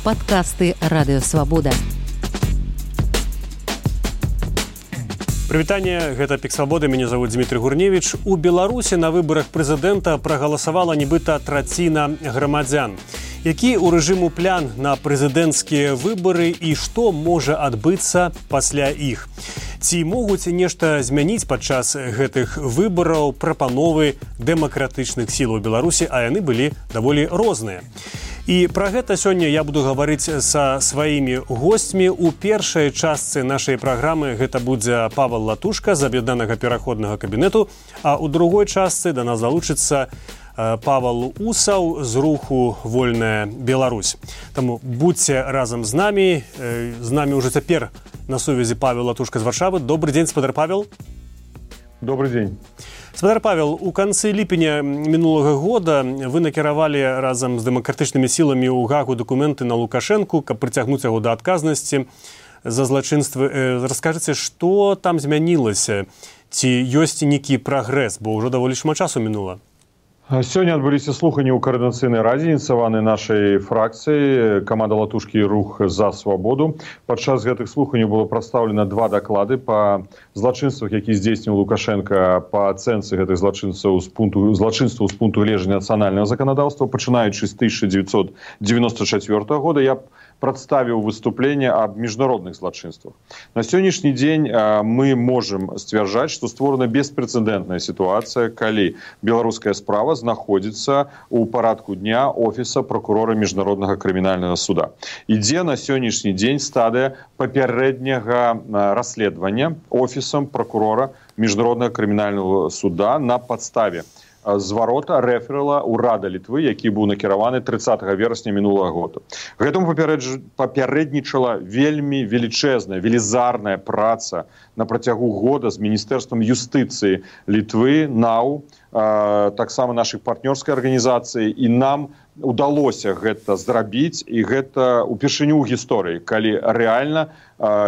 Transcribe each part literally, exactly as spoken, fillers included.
Падкасты Радыёвабода. Прывітанне, гэта Пік Свабоды, мяне зовут Дмітрий Гурневич. У Беларусі на выбарах прэзідэнта прагаласавала нібыта траціна грамадзян. Які ў рэжыму план на прэзідэнцкія выбары і што можа адбыцца пасля іх? Ці могуць нешта змяніць падчас гэтых выбараў прапановы дэмакратычных сілаў Беларусі, а яны былі даволі розныя. І пра гэта сёння я буду гаварыць са сваімі госцьмі. У першай частцы нашай праграмы гэта будзе Павел Латушка з аб'яднанага пераходнага кабінету, а ў другой частцы да нас залучыцца Павел Усаў з руху «Вольная Беларусь». Таму будьце разам з намі. З намі ўжо цяпер на сувязі Павел Латушка з Варшавы. Добрый дзень, спадар Павел. Добрый дзень. Спадар Павел, у канцы ліпеня мінулага года вы накіравалі разам з дэмакратычнымі сіламі ў Гагу дакументы на Лукашэнку, каб прыцягнуць яго да адказнасці за злачынствы. Раскажыце, што там змянілася? Ці ёсць нейкі прагрэс, бо ўжо даволі шмат часу мінула? Сёння адбыліся слуханні ў каардынацыйнай радзе, ініцыяванай нашай фракцыі «Каманда Латушкі» і «Рух за свабоду». Падчас гэтых слуханняў было прадстаўлена два даклады па злачынствах, які здзейсніў Лукашенко, па ацэнцы гэтых злачынстваў з пункту злачынстваў з пункту гледжання нацыянальнага заканадаўства, пачынаючы з тысяча дзевяцьсот девяносто четвёртого года. Я прадставіў выступленне аб міжнародных злачынствах. На сённяшні дзень мы можам сцвярджаць, што створана беспрэцэдэнтная сітуацыя, калі беларуская справа знаходзіцца ў парадку дня офіса прокурора міжнароднага крымінальнага суда. Ідзе на сённяшні дзень стадыя папярэдняга расследавання офісам прокурора міжнароднага крымінальнага суда на падставе зварота рэферала ўрада Літвы, які быў накіраваны трыццатага верасня мінулага года. Гэтаму папярэднічала вельмі велічэзная, велізарная праца на працягу года з Міністэрствам юстыцыі Літвы, НАУ, таксама нашых партнёрскай арганізацыі, і нам удалося гэта зрабіць, і гэта упершыню ў гісторыі, калі рэальна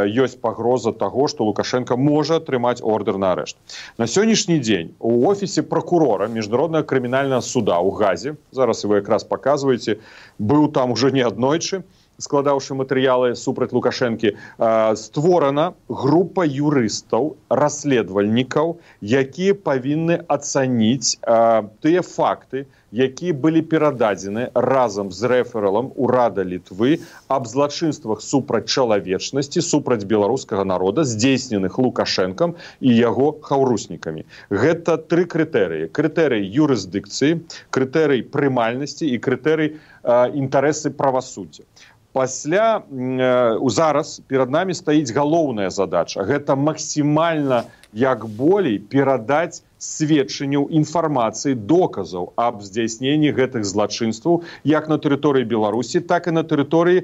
ёсць пагроза таго, што Лукашенко можа атрымаць ордэр на арышт. На сённяшні дзень у офісе прокурора міжнароднага крымінальнага суда ў Газе, зараз вы якраз паказваеце, быў там ужо не аднойчы, складаўшы матэрыялы супраць Лукашэнкі, створана група юрыстаў, расследавальнікаў, якія павінны ацаніць тыя факты, якія былі перададзены разам з рэфералам ўрада Літвы аб злачынствах супраць чалавечнасці, супраць беларускага народа, здзейсненых Лукашэнкам і яго хаўруснікамі. Гэта тры крытэрыі. Крытэрый юрысдыкцыі, крытэрый прымальнасці і крытэрый інтарэсы правасуддзя. Пасля, зараз перад намі стаіць галоўная задача. Гэта максімальна, як болей, перадаць сведчанняў, інфармацыі, доказаў аб здзяйсненні гэтых злачынстваў як на тэрыторыі Беларусі, так і на тэрыторыі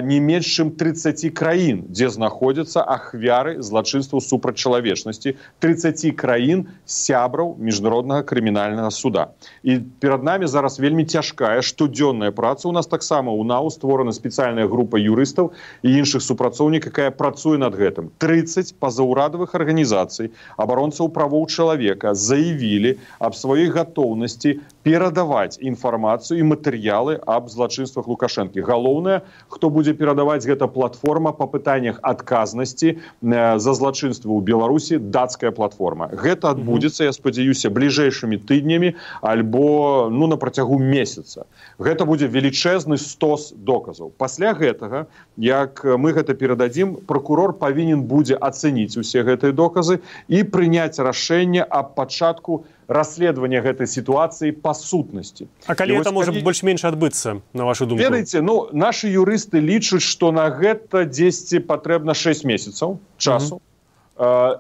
не менш чым трыццаці краін, дзе знаходзяцца ахвяры злачынстваў супраць чалавечнасці, трыццаці краін сябраў міжнароднага крымінальнага суда. І перад намі зараз вельмі цяжкая штодзённая праца. У нас таксама ў НАУ створана спецыяльная група юрыстаў і іншых супрацоўнікаў, якая працуе над гэтым. трыццаць пазаўрадавых арганізацый, абаронцаў правоў чалавека заявілі аб сваёй гатоўнасці перадаваць інфармацыю і матэрыялы аб злачынствах Лукашэнкі. Галоўнае, хто будзе перадаваць, гэта платформа па пытаннях адказнасці за злачынствы ў Беларусі, дацкая платформа. Гэта адбудзецца, я спадзяюся, бліжэйшымі тыднямі альбо ну, на працягу месяца. Гэта будзе велічэзны стос доказаў. Пасля гэтага, як мы гэта перададзім, прокурор павінен будзе ацэніць усе гэтыя доказы і прыняць рашэнне аб пачатку расследавання гэтай сітуацыі па сутнасці. А калі гэта можа больш-менш адбыцца, на вашу думку? Ведаеце, ну, нашы юрысты лічаць, што на гэта дзесьці патрэбна шэсць месяцаў часу. Uh-huh.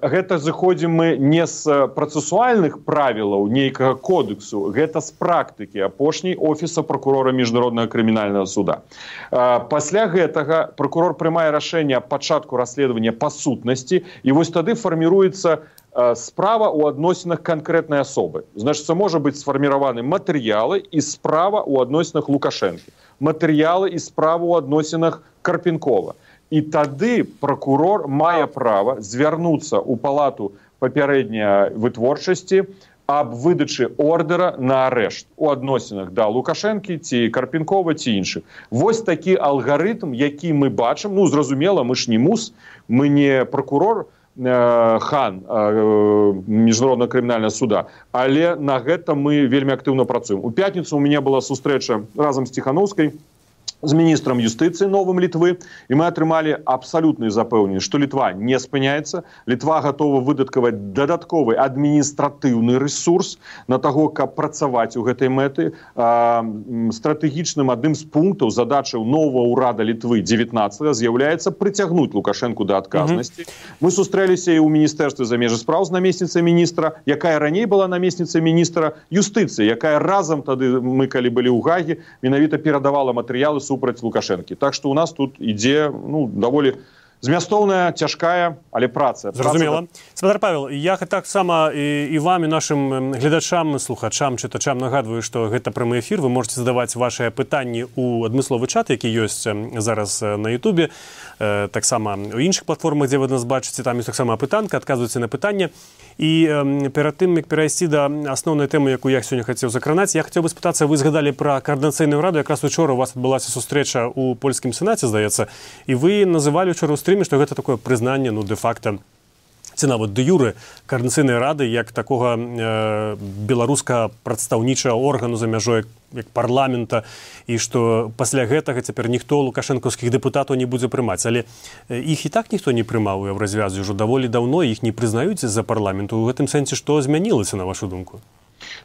Гэта зыходзім мы не з працэсуальных правілаў нейкага кодексу, гэта з практыкі апошняй офіса прокурора міжнароднага крымінальнага суда. Пасля гэтага прокурор прымае рашэнне аб пачатку расследавання па сутнасці, і вось тады фарміруецца справа ў адносінах канкрэтнай асобы. Значыць, можа быць сфарміраваны матэрыялы і справа ў адносінах Лукашэнкі. Матэрыялы і справа ў адносінах Карпенкова. І тады прокурор мае права звярнуцца ў палату папярэдняй вытворчасці аб выдачы ордера на арышт у адносінах да Лукашэнкі ці Карпенкова ці іншых. Вось такі алгарытм, які мы бачым, ну, зразумела, мы ж не мус, мы не прокурор, хан міжнароднага крымінальнага суда, але на гэта мы вельмі актыўна працуем. У пятніцу у мяне была сустрэча разам з Ціханаўскай з міністрам юстыцыі новым Літвы, і мы атрымалі абсалютную запэўненасць, што Літва не спыняецца, Літва гатова выдаткаваць дадатковы адміністратыўны рэсурс на таго, каб працаваць у гэтай мэты. Стратэгічным адным з пунктаў задачаў новага ўрада Літвы дзевятнаццатага з'яўляецца прыцягнуць Лукашэнку да адказнасці. Мы сустрэліся і ў міністэрстве замежных спраў з намесніцай міністра, якая раней была намесніцай міністра юстыцыі, якая разам тады, мы калі былі ў Гагі, менавіта перадавала матэрыялы супраць Лукашэнкі. Так што у нас тут ідзе, ну, даволі змястоўная, цяжкая, але праца. Зразумела. Спадар Павел, я таксама і, і вам, і нашым гледачам, слухачам, чытачам нагадваю, што гэта прамы эфір. Вы можете задаваць вашыя пытанні ў адмысловы чат, які ёсць зараз на Ютубе, таксама у іншых платформах, дзе вы нас бачыце, там ёсць таксама апытанка, адказвайце на пытанне. І перад тым, як перайсці да асноўнай тэмы, якую я сёння хацеў закранаць, я хацеў бы спытацца, вы згадалі пра каардынацыйную раду, якраз учора у вас адбылася сустрэча ў польскім сенаце, здаецца, і вы называлі учора ў стрыме, што гэта такое прызнанне, ну, дэ-факта, ці нават дэ-юрэ каардынацыйнай рады, як такога э, беларуска прадстаўнічага органу за мяжой як парламента, і што пасля гэтага цяпер ніхто лукашэнкаўскіх дэпутатаў не будзе прымаць. Але іх і так ніхто не прымаў у Еўразвязе, ўжо даволі даўно іх не прызнаюць з-за парламенту. У гэтым сэнсе што змянілася, на вашу думку?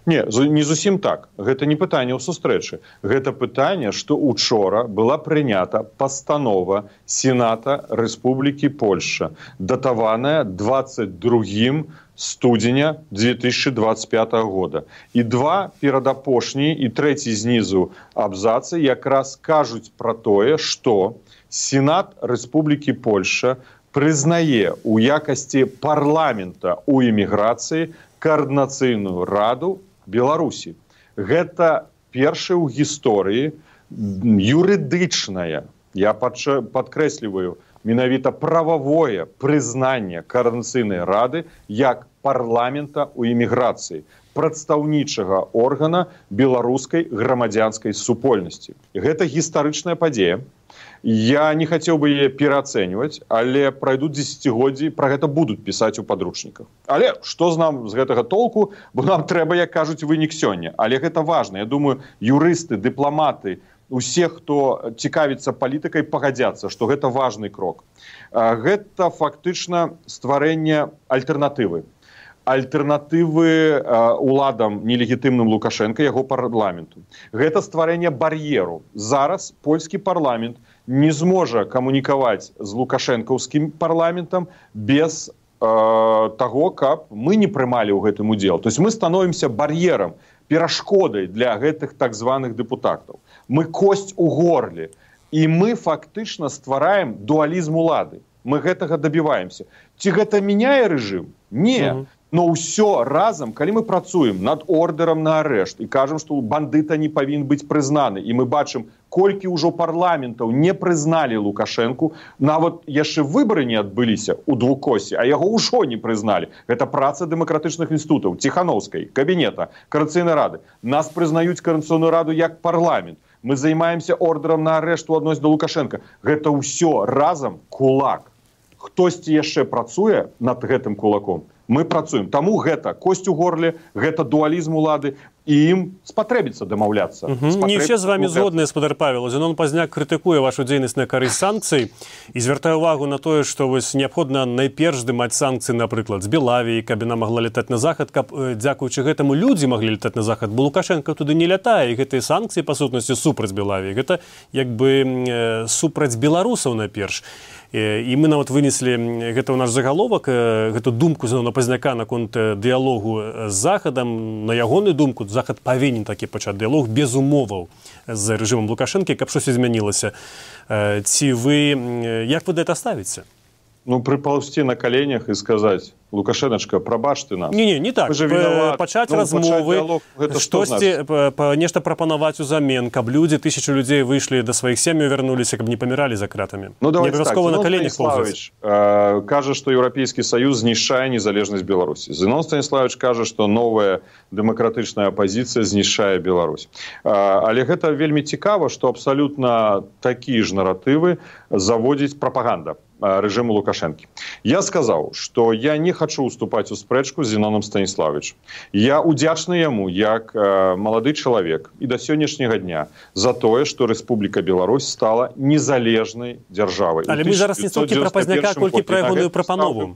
Не, не зусім так. Гэта не пытанне ў сустрэчы. Гэта пытанне, што учора была прынята пастанова Сената Рэспублікі Польша, датаваная двадцать другим студзеня две тысячи двадцать пятого года. І два перадапошнія і трэці знізу абзацы якраз кажуць пра тое, што Сенат Рэспублікі Польша прызнае ў якасці парламента ў эміграцыі каардынацыйную раду Беларусі. Гэта першая ў гісторыі юрыдычная, я падкрэсліваю, менавіта прававое прызнанне каардынацыйнай рады як парламента ў эміграцыі, прадстаўнічага органа беларускай грамадзянскай супольнасці. Гэта гістарычная падзея. Я не хацеў бы яе пераацэньваць, але пройдуць дзесяцігоддзі, пра гэта будуць пісаць у падручніках. Але што з нам з гэтага толку, бо нам трэба, як кажуць, вынік сёння. Але гэта важна. Я думаю, юрысты, дыпламаты, усе, хто цікавіцца палітыкай, пагадзяцца, што гэта важны крок. Гэта фактычна стварэнне альтэрнатывы. Альтэрнатывы уладам нелегітымным Лукашэнка, яго парламенту. Гэта стварэнне бар'еру. Зараз польскі парламент не зможа камунікаваць з лукашэнкаўскім парламентам без э, таго, каб мы не прымалі ў гэтым удзел. То есть мы становімся бар'ерам, перашкодай для гэтых так званых дэпутатаў. Мы косць у горле. І мы фактычна ствараем дуалізм улады. Мы гэтага дабіваемся. Ці гэта мяняе рэжым? Не. Mm-hmm. Но ўсё разам, калі мы працуем над ордерам на арышт і кажам, што бандыта не павінен быць прызнаны, і мы бачым, колькі ўжо парламентаў не прызналі Лукашэнку, нават яшчэ выбары не адбыліся ў двукосе, а яго ўжо не прызналі. Гэта праца дэмакратычных інстытутаў, Ціханаўскай, кабінета, Каардынацыйнай рады. Нас прызнаюць Каардынацыйную раду як парламент. Мы займаемся ордерам на арышт у адносін да Лукашэнка. Гэта ўсё разам кулак. Хтосьці яшчэ працуе над гэтым кулаком. Мы працуем. Таму гэта косць у горле, гэта дуалізм улады, і ім спатрэбіцца дамаўляцца. Угу. Не ўсе з вами згодныя, спадар Павел. Зенон Пазняк крытыкуе вашу дзейнасць на карысць санкцый і звяртае ўвагу на тое, што вось неабходна найперш здымаць санкцыі, напрыклад, з Белавіі, каб яна магла летаць на захад, каб, дзякуючы гэтаму, людзі маглі летаць на захад, бо Лукашэнка туды не лятае, і гэтыя санкцыі, па сутнасці, супраць Белавіі. Гэта, як бы, супраць беларусаў найперш. І мы нават вынеслі гэта ў наш загаловак, гэту думку Зенона Пазняка наконт дыялогу з Захадам. На ягоную думку, Захад павінен такі пачаць дыялог без умоваў з рэжымам Лукашэнкі, каб щось змянілася. Ці вы, як вы да гэта ставіце? Ну, припаўсці на коленях і сказаць: Лукашэначка, прабач ты нас. Не, не, не так. Пачаць ну, размовы, штосьці, нешта прапанаваць узамен, каб людзі, тысячу людзей выйшлі да сваіх сем'яў, вярнуліся, каб не паміралі за кратамі. Ну, давайте так. На коленях Станиславович э, кажа, што Еўрапейскі Саюз знішчае незалежнасць Беларусі. Зінон Станиславович кажа, што новая дэмакратычная апазіцыя знішчае Беларусь. Э, але гэта вельмі цікава, што абсалютна такія ж наратывы заводзіць прапаганда режиму Лукашенко. Я сказал, что я не хочу уступать у спрэчку с Зіноном Станиславовичем. Я удзячны яму, як э, молодый человек и до сегодняшнего дня за тое, что Республика Беларусь стала незалежной державой. Але мы зараз не столькі пра Пазняка, колькі пра ягоную прапанову.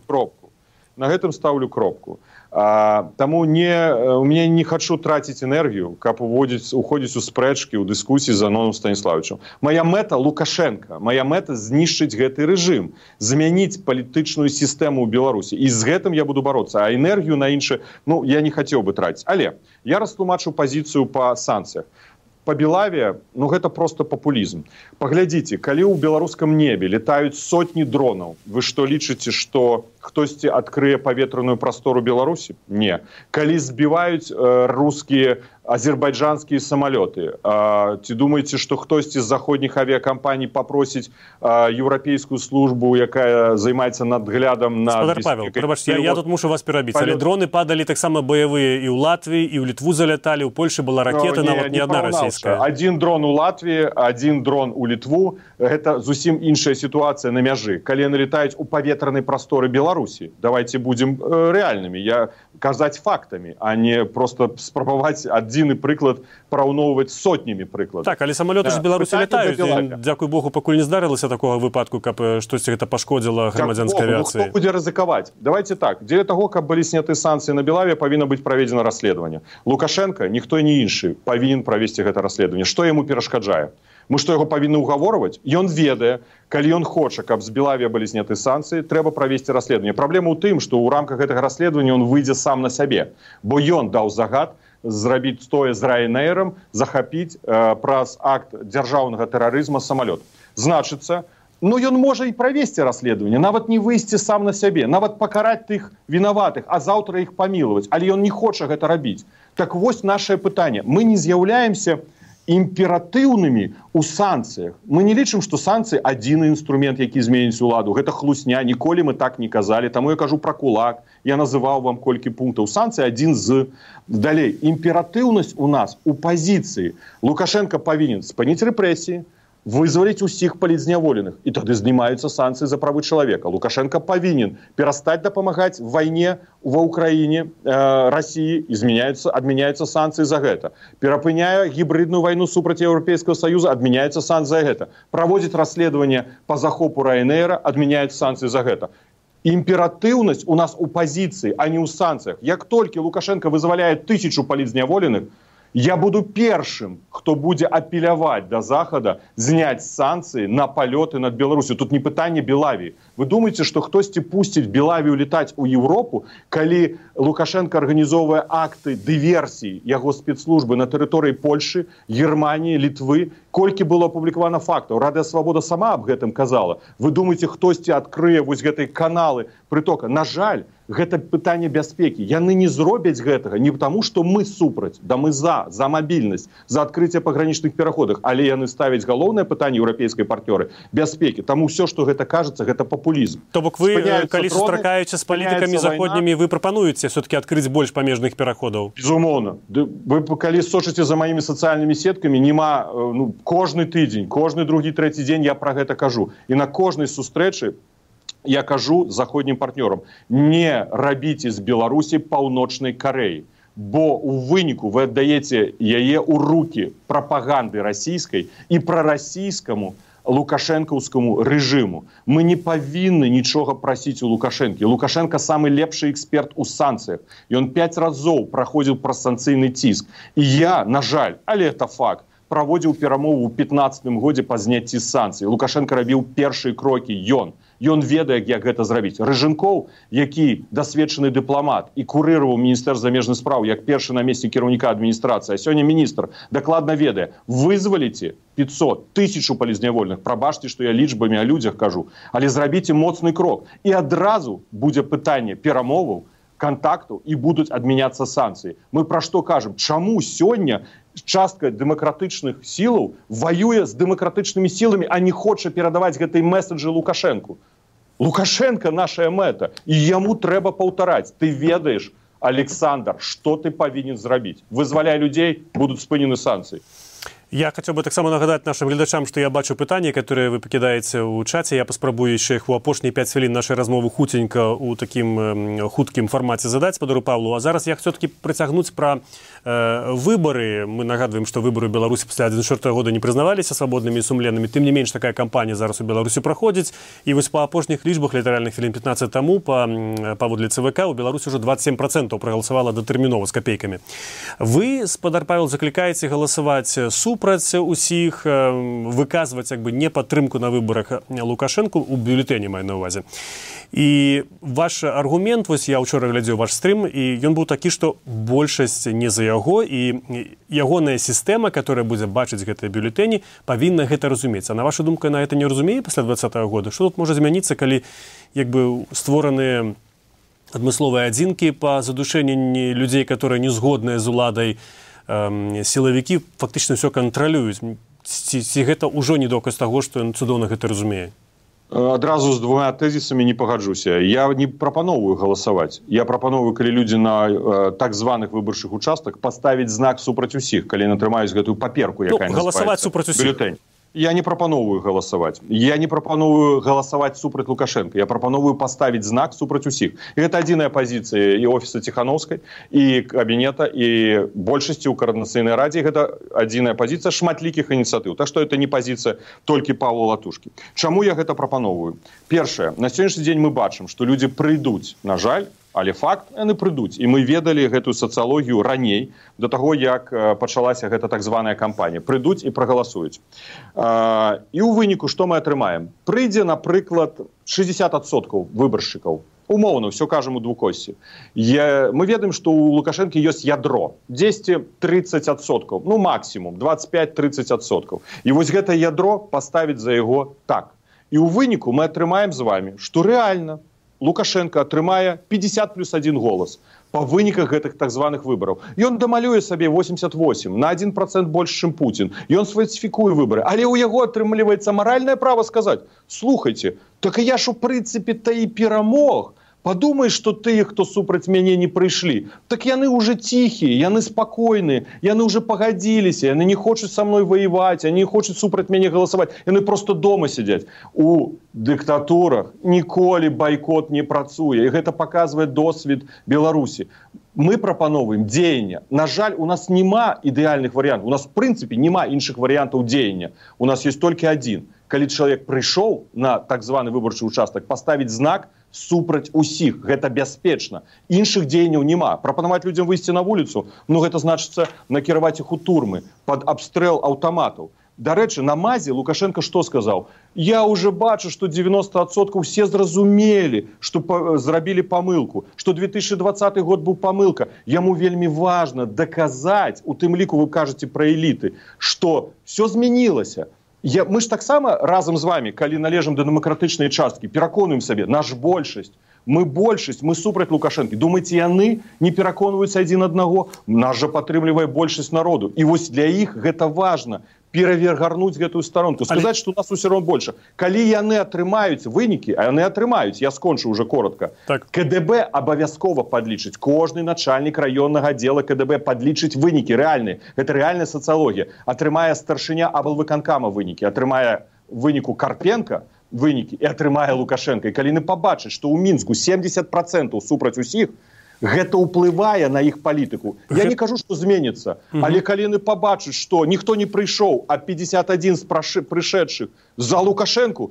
На гэтым ставлю кропку. А, таму не, у меня не хочу тратить энергию, каб уводзіць, уходзіць у спрэчкі, у дыскусіі з Зіноном Станиславовичем. Моя мэта Лукашенко, моя мэта знішчыць гэты рэжым, змяніць палітычную сістэму ў Беларусі. І з гэтым я буду бороться. А энергію на інше, ну, я не хацеў бы тратить. Але я растлумачу пазіцыю па санкцыях. Па Белаве, ну, гэта просто папулізм. Паглядзіце, калі ў беларускам небе летаюць сотні дронаў, вы што лічыце, што хтосьці адкрые паветраную прастору Беларусі? Не. Калі збіваюць э, рускія, азербайджанскія самалёты, э, ці думаеце, што хтосьці з заходніх авіакампаній папросіць э, еўрапейскую службу, якая займаецца надглядам на... Спадар Павел, прабачце, я, я тут мушу вас перабіць, але дроны падалі таксама баявыя і ў Латвіі, і ў Літву заляталі, ў Польшы была ракета, no, нават не, не адна расійская. Один дрон у Латвіі, один дрон у Літву, гэта зусім іншая сітуацыя на мяжы. Калі яны летаюць у паветранай прасторы Беларусі, давайте будем э, реальными, я казаць фактами, а не просто спрабаваць адзіны прыклад параўноўваць сотнямі прыкладаў. Так, але самалёты ж Беларусі летаюць. Дзякуй Богу, пакуль не здарылася такога выпадку, каб штосьці гэта пашкодзіла грамадзянскай авіяцыі. Ну, хто будзе рызыкаваць? Давайте так, дзеля таго, каб былі сняты санкцыі на Белаве, павінна быць праведзена расследаванне. Лукашенко, ніхто не іншы, павінен правесці гэта расследаванне. Што яму перашкаджае? Мы што, яго павінны ўгаворваць? Ён ведае, калі ён хоча, каб з Белаве былі зняты санкцыі, трэба правесці расследаванне. Праблема ў тым, што ў рамках гэтага расследавання ён выйдзе сам на сябе, бо ён даў загад зрабіць тое з Ryanair'ам, захапіць э, праз акт дзяржаўнага тэрарызма самалёт. Значыцца, ну ён можа і правесці расследаванне, нават не выйсці сам на сябе, нават пакараць тых вінаватых, а заўтра іх памілаваць, але ён не хоча гэта рабіць. Так вось нашае пытанне. Мы не з'яўляемся імператыўнымі у санкцыях. Мы не лічым, што санкцыі адзіны інструмент, які зменіць уладу. Гэта хлусня, ніколі мы так не казалі. Таму я кажу пра кулак. Я называў вам колькі пунктаў. Санкцыі адзін з. Далей. Імператыўнасць у нас у пазіцыі. Лукашенко павінен спыніць рэпрэсіі, вызваліць усіх палітзняволеных. І тады знімаюцца санкцыі за правы чалавека. Лукашенко павінен перастаць дапамагаць в вайне ва ўкраіне, э, Расіі, і змяняюцца, адмяняюцца санкцыі за гэта. Перапыняе гібридную вайну супраць Еўрапейскага Саюза, адмяняюцца санкцыі за гэта. Праводзіць расследаванне па захопу Ryanair'a, адмяняюцца санкцыі за гэта. Імператыўнасць у нас у пазіцыі, а не ў санкцыях. Як толькі Лукашенко вызваляе тысячу палітзняволеных, я буду першым, хто будзе апеляваць да Захада зняць санкцыі на палёты над Беларусю. Тут не пытанне Белавіі. Вы думаеце, што хтосьці пусціць Белавію летаць у Еўропу, калі Лукашенко арганізоўвае акты дыверсіі яго спецслужбы на тэрыторыі Польшы, Германіі, Літвы? Колькі было апублікавана фактаў? Радыё Свабода сама аб гэтым казала. Вы думаеце, хтосьці адкрые вось гэтай каналы прытока? На жаль, гэта пытанне бяспекі. Яны не зробяць гэтага не таму, што мы супраць, да мы за, за мабільнасць, за адкрыцця пагранічных пераходах, але яны ставяць галоўнае пытанне еўрапейскай партнёры бяспекі. Таму ўсё, што гэта кажацца, гэта папулізм. То бок вы, калі сустракаючы з палітыкамі заходнімі, вы прапануеце все-таки адкрыць больш памежных пераходаў? Безумоўна. Вы калі сочыце за маімі сацыяльнымі сеткамі, нема, ну, кожны тыдзень, кожны другі, трэці дзень я пра гэта кажу. І на кожнай сустрэчы я кажу заходнім партнёрам: не рабіце з Беларусі паўночнай Карэі, бо у выніку вы аддаеце яе ў рукі прапаганды расійскай і прарасійскаму лукашэнкаўскаму рэжыму. Мы не павінны нічога прасіць у Лукашэнкі. Лукашенко самы лепшы эксперт у санкцыях. Ён пяць разоў праходзіў праз санкцыйны ціск. І я, на жаль, але это факт, праводзіў перамову ў пятнаццатым годзе па зняцці санкцый. Лукашенко рабіў першыя крокі, ён. Ён ведае, як гэта зрабіць. Рыжынкоў, які дасведчаны дыпламат і курыраваў міністэрства замежных спраў як першы намеснік кіраўніка адміністрацыі, а сёння міністр дакладна ведае, вызваліце пятьсот, тысячу палізнявольных, прабачце, што я лічбамі о людзях кажу, але зрабіце моцны крок. І адразу будзе пытанне перамоваў, контакту і будуць адмяняцца санкцыі. Мы пра што кажам? Чаму сёння частка дэмакратычных сілаў ваюе з дэмакратычнымі сіламі, а не хоча перадаваць гэтай месседжы Лукашенку? Лукашенко наша мэта, і яму трэба паўтараць. Ты ведаеш, Александр, што ты павінен зрабіць? Вызваляй людзей, будуць спынены санкцыі. Я хотел бы так само нагадать нашим глядачам, что я бачу питання, которые вы покидаете у чаті. Я поспробую ще їх у апошні п'ять хвилин нашої розмови хутенько у таким э, хутким форматі задати Сподару Павлу. А зараз я все-таки притягнуть про э, выборы. Мы нагадываем, что выборы в Беларуси после две тысячи четвёртого года не признавались свободными и сумленными. Тем не меньше, такая кампания зараз у Беларуси проходит. И вот по апошних лічбах литеральных хвилин пятнадцать тому по поводу ЦВК у Беларуси уже двадцать семь процентов проголосовало дотерминова с копейками. Вы, Спадар Павел, закликаете голосовать суп супраць усіх, выказваць як бы не падтрымку на выбарах Лукашенку у бюлетэні, маю на ўвазе. І ваш аргумент, вось я ўчора глядзеў ваш стрым, і ён быў такі, што большасць не за яго, і ягоная сістэма, которая будзе бачыць гэтыя бюлетэні, павінна гэта разумець. А на вашу думку, яна гэта не разумее пасля двадцатага года? Што тут можа змяніцца, калі як бы створаныя адмысловыя адзінкі па задушэнні людзей, которые не згодныя з уладай, сілавікі фактычна все кантралююць. Ці, ці гэта ўжо не доказ таго, што ён цудоўна гэта разумее? Адразу з двумя тэзісамі не пагаджуся. Я не прапановую галасаваць. Я прапановую, калі людзі на э, так званых выбарчых участках паставіць знак супраць усіх, калі яны атрымаюць гэтую паперку, якая ну, галасаваць супраць усіх. Бюлетень. Я не прапановую галасаваць. Я не прапановую галасаваць супраць Лукашенко. Я прапановую паставіць знак супраць усіх. І гэта адзіная пазіцыя і офіса Ціхановскай, і кабінета, і большасці ў Координацыйнай радзе. Гэта адзіная пазіцыя шматлікіх ініцыятыў. Так што гэта не пазіцыя толькі Павла Латушкі. Чаму я гэта прапановую? Першае, на сённяшні дзень мы бачым, што людзі прыйдуць, на жаль, але факт, яны прыйдуць. І мы ведалі гэтую сацыялогію раней, до таго, як пачалася гэта так званая кампанія. Прыйдуць і прагаласуюць. І ў выніку, што мы атрымаем? Прыйдзе, напрыклад, шэсцьдзесят адсоткаў выбаршчыкаў. Умоўна, все кажам у двукосці. Мы ведаем, што ў Лукашэнкі ёсць ядро. дзесяць тридцать адсоткаў. Ну, максімум. двадцать пять тридцать адсоткаў. І вось гэта ядро паставіць за яго так. І ў выніку мы атрымаем з вами, што рэальна Лукашенко атрымае пятьдесят плюс один голас па выніках гэтых так званых выбараў. Ён дамалюе сабе восемьдесят восемь, на один процент больш, чым Путін. Ён сфальсіфікуе выбары. Але ў яго атрымліваецца маральнае права сказаць: слухайте, так я ж у прынцыпе та і перамог. Падумай, што тыя, хто супраць мяне не прыйшлі, так яны ўжо ціхія, яны спакойныя, яны ўжо пагадзіліся, яны не хочуць са мной ваяваць, яны не хочуць супраць мяне галасаваць, яны проста дома сядзяць. У дыктатурах ніколі байкот не працуе, і гэта паказвае досвед Беларусі. Мы прапановваем дзеяння. На жаль, у нас няма ідэальных варыянтаў, у нас в прынцыпе няма іншых варыянтаў дзеяння. У нас ёсць толькі адзін. Калі чалавек прыйшоў на так званы выбарчы участак, паставіць знак супраць усіх. Гэта бяспечна. Іншых дзеянняў няма. Прапанаваць людзям выйсці на вуліцу, ну гэта значыцца накіраваць іх у турмы пад абстрэл аўтаматаў. Дарэчы, на мазе Лукашенко што сказаў? Я уже бачу, што девяносто адсоткаў все зразумелі, што зрабілі памылку, што две тысячи двадцаты год быў памылка. Яму вельмі важна даказаць, у тым ліку вы кажаце пра эліты, што все змянілася. Я, мы ж таксама разам з вами, калі належым да дэмакратычнай часткі, пераконуем сабе, наш большасць, мы большасць, мы супраць Лукашэнкі. Думаеце, яны не пераконваюцца адзін аднаго? Нас жа падтрымлівае большасць народу. І вось для іх гэта важна. Перавергарнуць гэтую старонку, сказаць, што у нас усё роўна больше. Калі яны атрымаюць вынікі, а яны атрымаюць, я скончу уже коротко, так. КДБ абавязкова падлічыць. Кожны начальнік раённага аддзела КДБ падлічыць вынікі рэальныя. Гэта рэальная сацыялогія. Атрымае старшыня аблвыканкама вынікі, атрымае выніку Карпенка вынікі і атрымае Лукашенко. І калі яны пабачаць, што ў Мінску семьдесят процентов супраць усіх, гэта ўплывае на іх палітыку. Я не кажу, што зменіцца, але калі яны пабачаць, што ніхто не прыйшоў, а пятьдесят один з прышедшых за Лукашенку,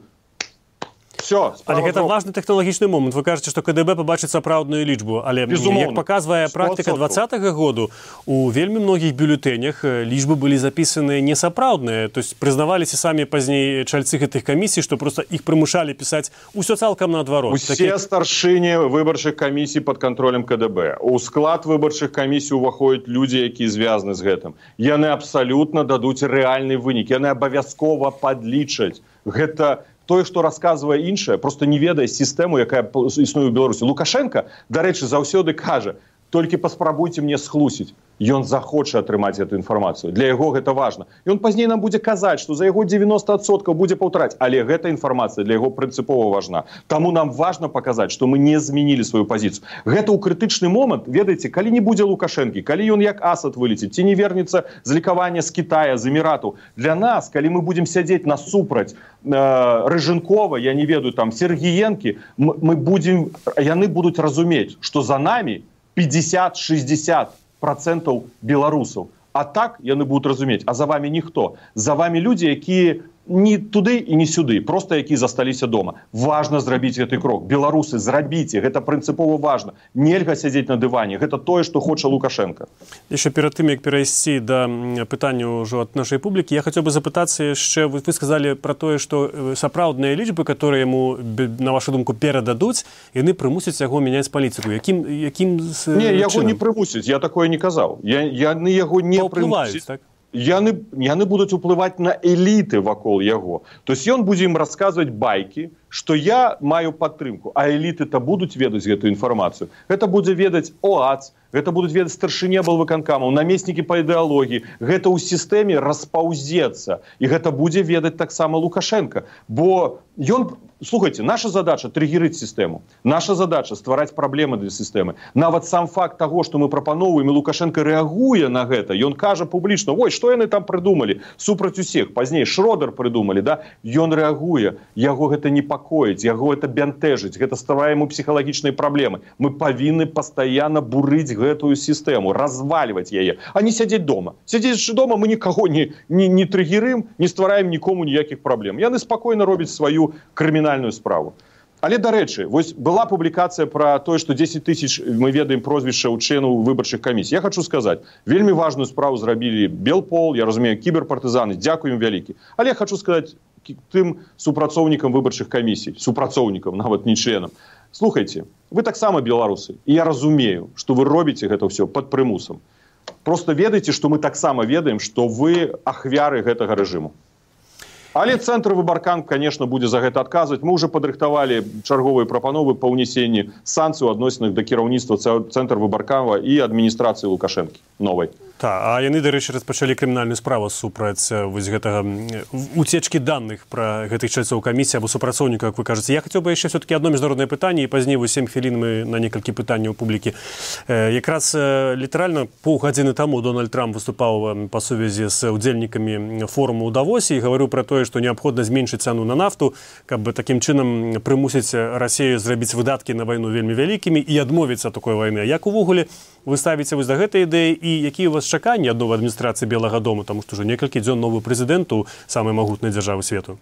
Все, але гэта важны тэхналагічны момант. Вы кажаце, што КДБ пабачыць сапраўдную лічбу, але безумоўна, як паказвае практыка двадцатага году, у вельмі многіх бюлетэнях лічбы былі запісаныя несапраўдныя, то есть прызнаваліся самі пазней чальцы гэтых камісій, што просто іх прымушалі пісаць усё цалкам наадварот. Усе Такі... старшыні выбарчых камісій пад кантролем КДБ. У склад выбарчых камісій уваходзяць людзі, якія звязаны з гэтым. Яны абсалютна дадуць рэальны вынік, яны абавязкова падлічаць. Гэта тое, што расказвае іншае, просто не ведае сістэму, якая існуе ў Беларусі. Лукашенко, дарэчы, заўсёды кажа, толькі паспрабуйце мне схлусіць. Ён захоча атрымаць эту інфармацыю. Для яго гэта важна. Ён пазней нам будзе казаць, што за яго дзевяноста адсоткаў будзе паўтараць, але гэта інфармацыя для яго прынцыпова важна. Таму нам важна паказаць, што мы не змянілі сваю пазіцыю. Гэта ў крытычны момант, ведаеце, калі не будзе Лукашэнкі, калі ён як асад вылеціць, ці не вернецца з лікавання з Китая, з Эміратаў. Для нас, калі мы будзем сядзець насупраць э, Рыжынкова, я не ведаю, там Сергіенкі, мы, мы будзем, яны будуць разумець, што за намі пятьдесят-шестьдесят процентаў беларусаў. А так яны будуць разумець, а за вами ніхто. За вами людзі, якія не туды і не сюды, просто якія засталіся дома. Важна зрабіць гэты крок. Беларусы, зрабіце, гэта прынцыпова важна. Нельга сядзець на дыване. Гэта тое, што хоча Лукашенко. Яшчэ перад тым, як перайсці да пытання ўжо ад нашай публікі, я хацеў бы запытацца яшчэ, вы, вы сказалі пра тое, што сапраўдныя лічбы, которые яму, на вашу думку, перададуць, яны прымусяць яго мяняць палітыку. Якім, якім Не, яго не прымусяць, я такое не казаў. Я, яны яго не прымусяць. Так? Яны, яны будуць уплываць на эліты вакол яго. То есть ён будзе ім расказваць байкі, што я маю падтрымку, а эліты-то будуць ведаць гэту інфармацыю. Гэта будзе ведаць ОАЦ, гэта будуць ведаць старшыні аблвыканкамаў, намеснікі па ідэалогіі. Гэта ў сістэме распаўзецца. І гэта будзе ведаць таксама Лукашенко. Бо ён... Слухайте, наша задача триггерить систему. Наша задача ствараць праблемы для сістэмы. Нават сам факт таго, што мы прапаноўваем, і Лукашенко рэагуе на гэта. Ён кажа публічна: "Ой, што яны там прыдумалі? Супраць усіх". Пазней Шродер прыдумалі, да? Ён рэагуе. Яго гэта непакоіць, яго гэта бянтэжыць, гэта стварае яму псіхалагічныя праблемы. Мы павінны пастаянна бурыць гэтую сістэму, развальваць яе, а не сядзець дома. Сядзець дома мы нікаго не, не, не триггерым, не ствараем нікому ніякіх праблем. Яны спакойна робяць сваю крымінальную справу. Але, дарэчы, вось была публікацыя пра тое, што дзесяць тысяч, мы ведаем прозвішча ў членаў выбарчых камісій. Я хочу сказаць, вельмі важную справу зрабілі Белпол, я разумею, кіберпартызаны, дзякуем вялікі. Але я хочу сказаць тым супрацоўнікам выбарчых камісій, супрацоўнікам, нават не членам. Слухайце, вы таксама беларусы, і я разумею, што вы робіце гэта ўсё пад прымусам. Просто ведаеце, што мы таксама ведаем, што вы ахвяры гэтага рэжыму. Але цэнтр выбаркам, конечно, будзе за гэта адказваць. Мы ўжо падрыхтавалі чарговыя прапановы па ўнесенні санкцый у адносінах да кіраўніцтва цэнтр выбаркама і адміністрацыі Лукашэнкі новай. Та, а яны, дарэчы, распачалі крымінальную справу супраць вось гэтага уцечкі даных пра гэтых чальцоў камісіі або супрацоўнікаў, як вы кажаце. Я хацеў бы яшчэ все-таки адно міжнароднае пытанне, і пазней вось сем хвілін мы на некалькі пытанняў публікі. Якраз літаральна паўгадзіны таму Дональд Трамп выступаў па сувязі з удзельнікамі форуму ў Давосе і гаварыў пра тое, што неабходна зменшыць цану на нафту, каб такім чынам прымусіць Расію зрабіць выдаткі на вайну вельмі вялікімі і адмовіцца ад такой вайны. Як увогуле вы ставіце вось да гэтай ідэі і якія у вас чаканні ад новай адміністрацыі Белага дому, таму што ўжо некалькі дзён новы прэзідэнт у самай магутнай дзяржавы свету?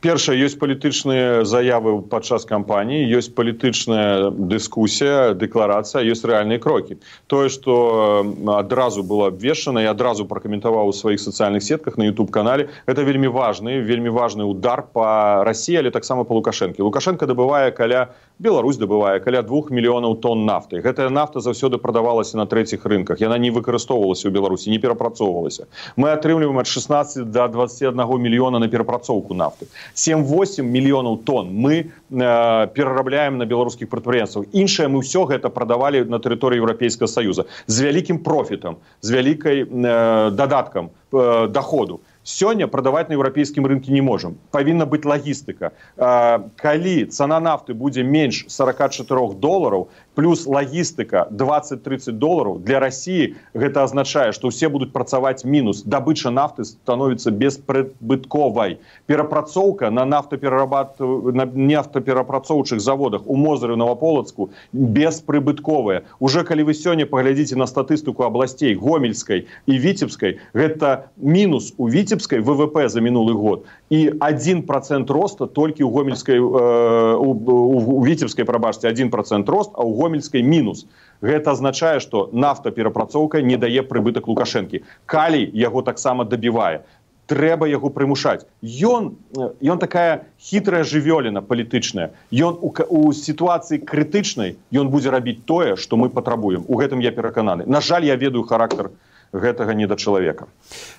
Першае, ёсць палітычныя заявы падчас кампаніі, ёсць палітычная дыскусія, дэкларацыя, ёсць рэальныя крокі. Тое, што адразу было абвешчана, я адразу пракаментаваў у сваіх сацыяльных сетках на YouTube-канале, гэта вельмі важны, вельмі важны удар па Расіі, але таксама па Лукашэнкі. Лукашенко дабывае каля, Беларусь дабывае каля двух мільёнаў тонн нафты. Гэтая нафта заўсёды прадавалася на трэціх рынках. Яна не выкарыстоўвалася ў Беларусі, не перапрацоўвалася. Мы атрымліваем ад шаснаццаці да дваццаці аднаго мільёна на перапрацоўку нафты. сем-восем мільёнаў тонн мы э, перарабляем на беларускіх прадпрыемствах. Іншае мы ўсё гэта прадавалі на тэрыторыі Еўрапейскага Саюза з вялікім профітам, з вялікай э, дадаткам э, даходу. Сёння прадаваць на еўрапейскім рынке не можам. Павінна быць лагістыка. Калі цана нафты будзе менш сорок четыре долараў, плюс лагістыка двадцать-тридцать долараў, для Расіі гэта азначае, што ўсе будуць працаваць мінус. Дабыча нафты становіцца беспрыбытковай. Перапрацоўка на нафтаперарабат... на нафтаперапрацоўчых заводах у Мозыры, Новаполацку беспрыбытковая. Уже калі вы сёння паглядзіце на статыстыку абласцей Гомельскай і Віцебскай, гэта мінус у Віцебскай ВВП за мінулы год и один процент роста только у Гомельской, э, у, у, у Витебской, пробачьте, один процент рост, а у Гомельской минус. Это означает, что нафтаперапрацоўка не дае прыбытак Лукашэнкі. Калий яго таксама добивае. Трэба яго прымушаць. Ён, ён такая хітрая жывёліна палітычная. Ён у, у сітуацыі крытычнай ён будзе рабіць тое, што мы патрабуем. У гэтым я перакананы. На жаль, я ведаю характар гэтага недачалавека.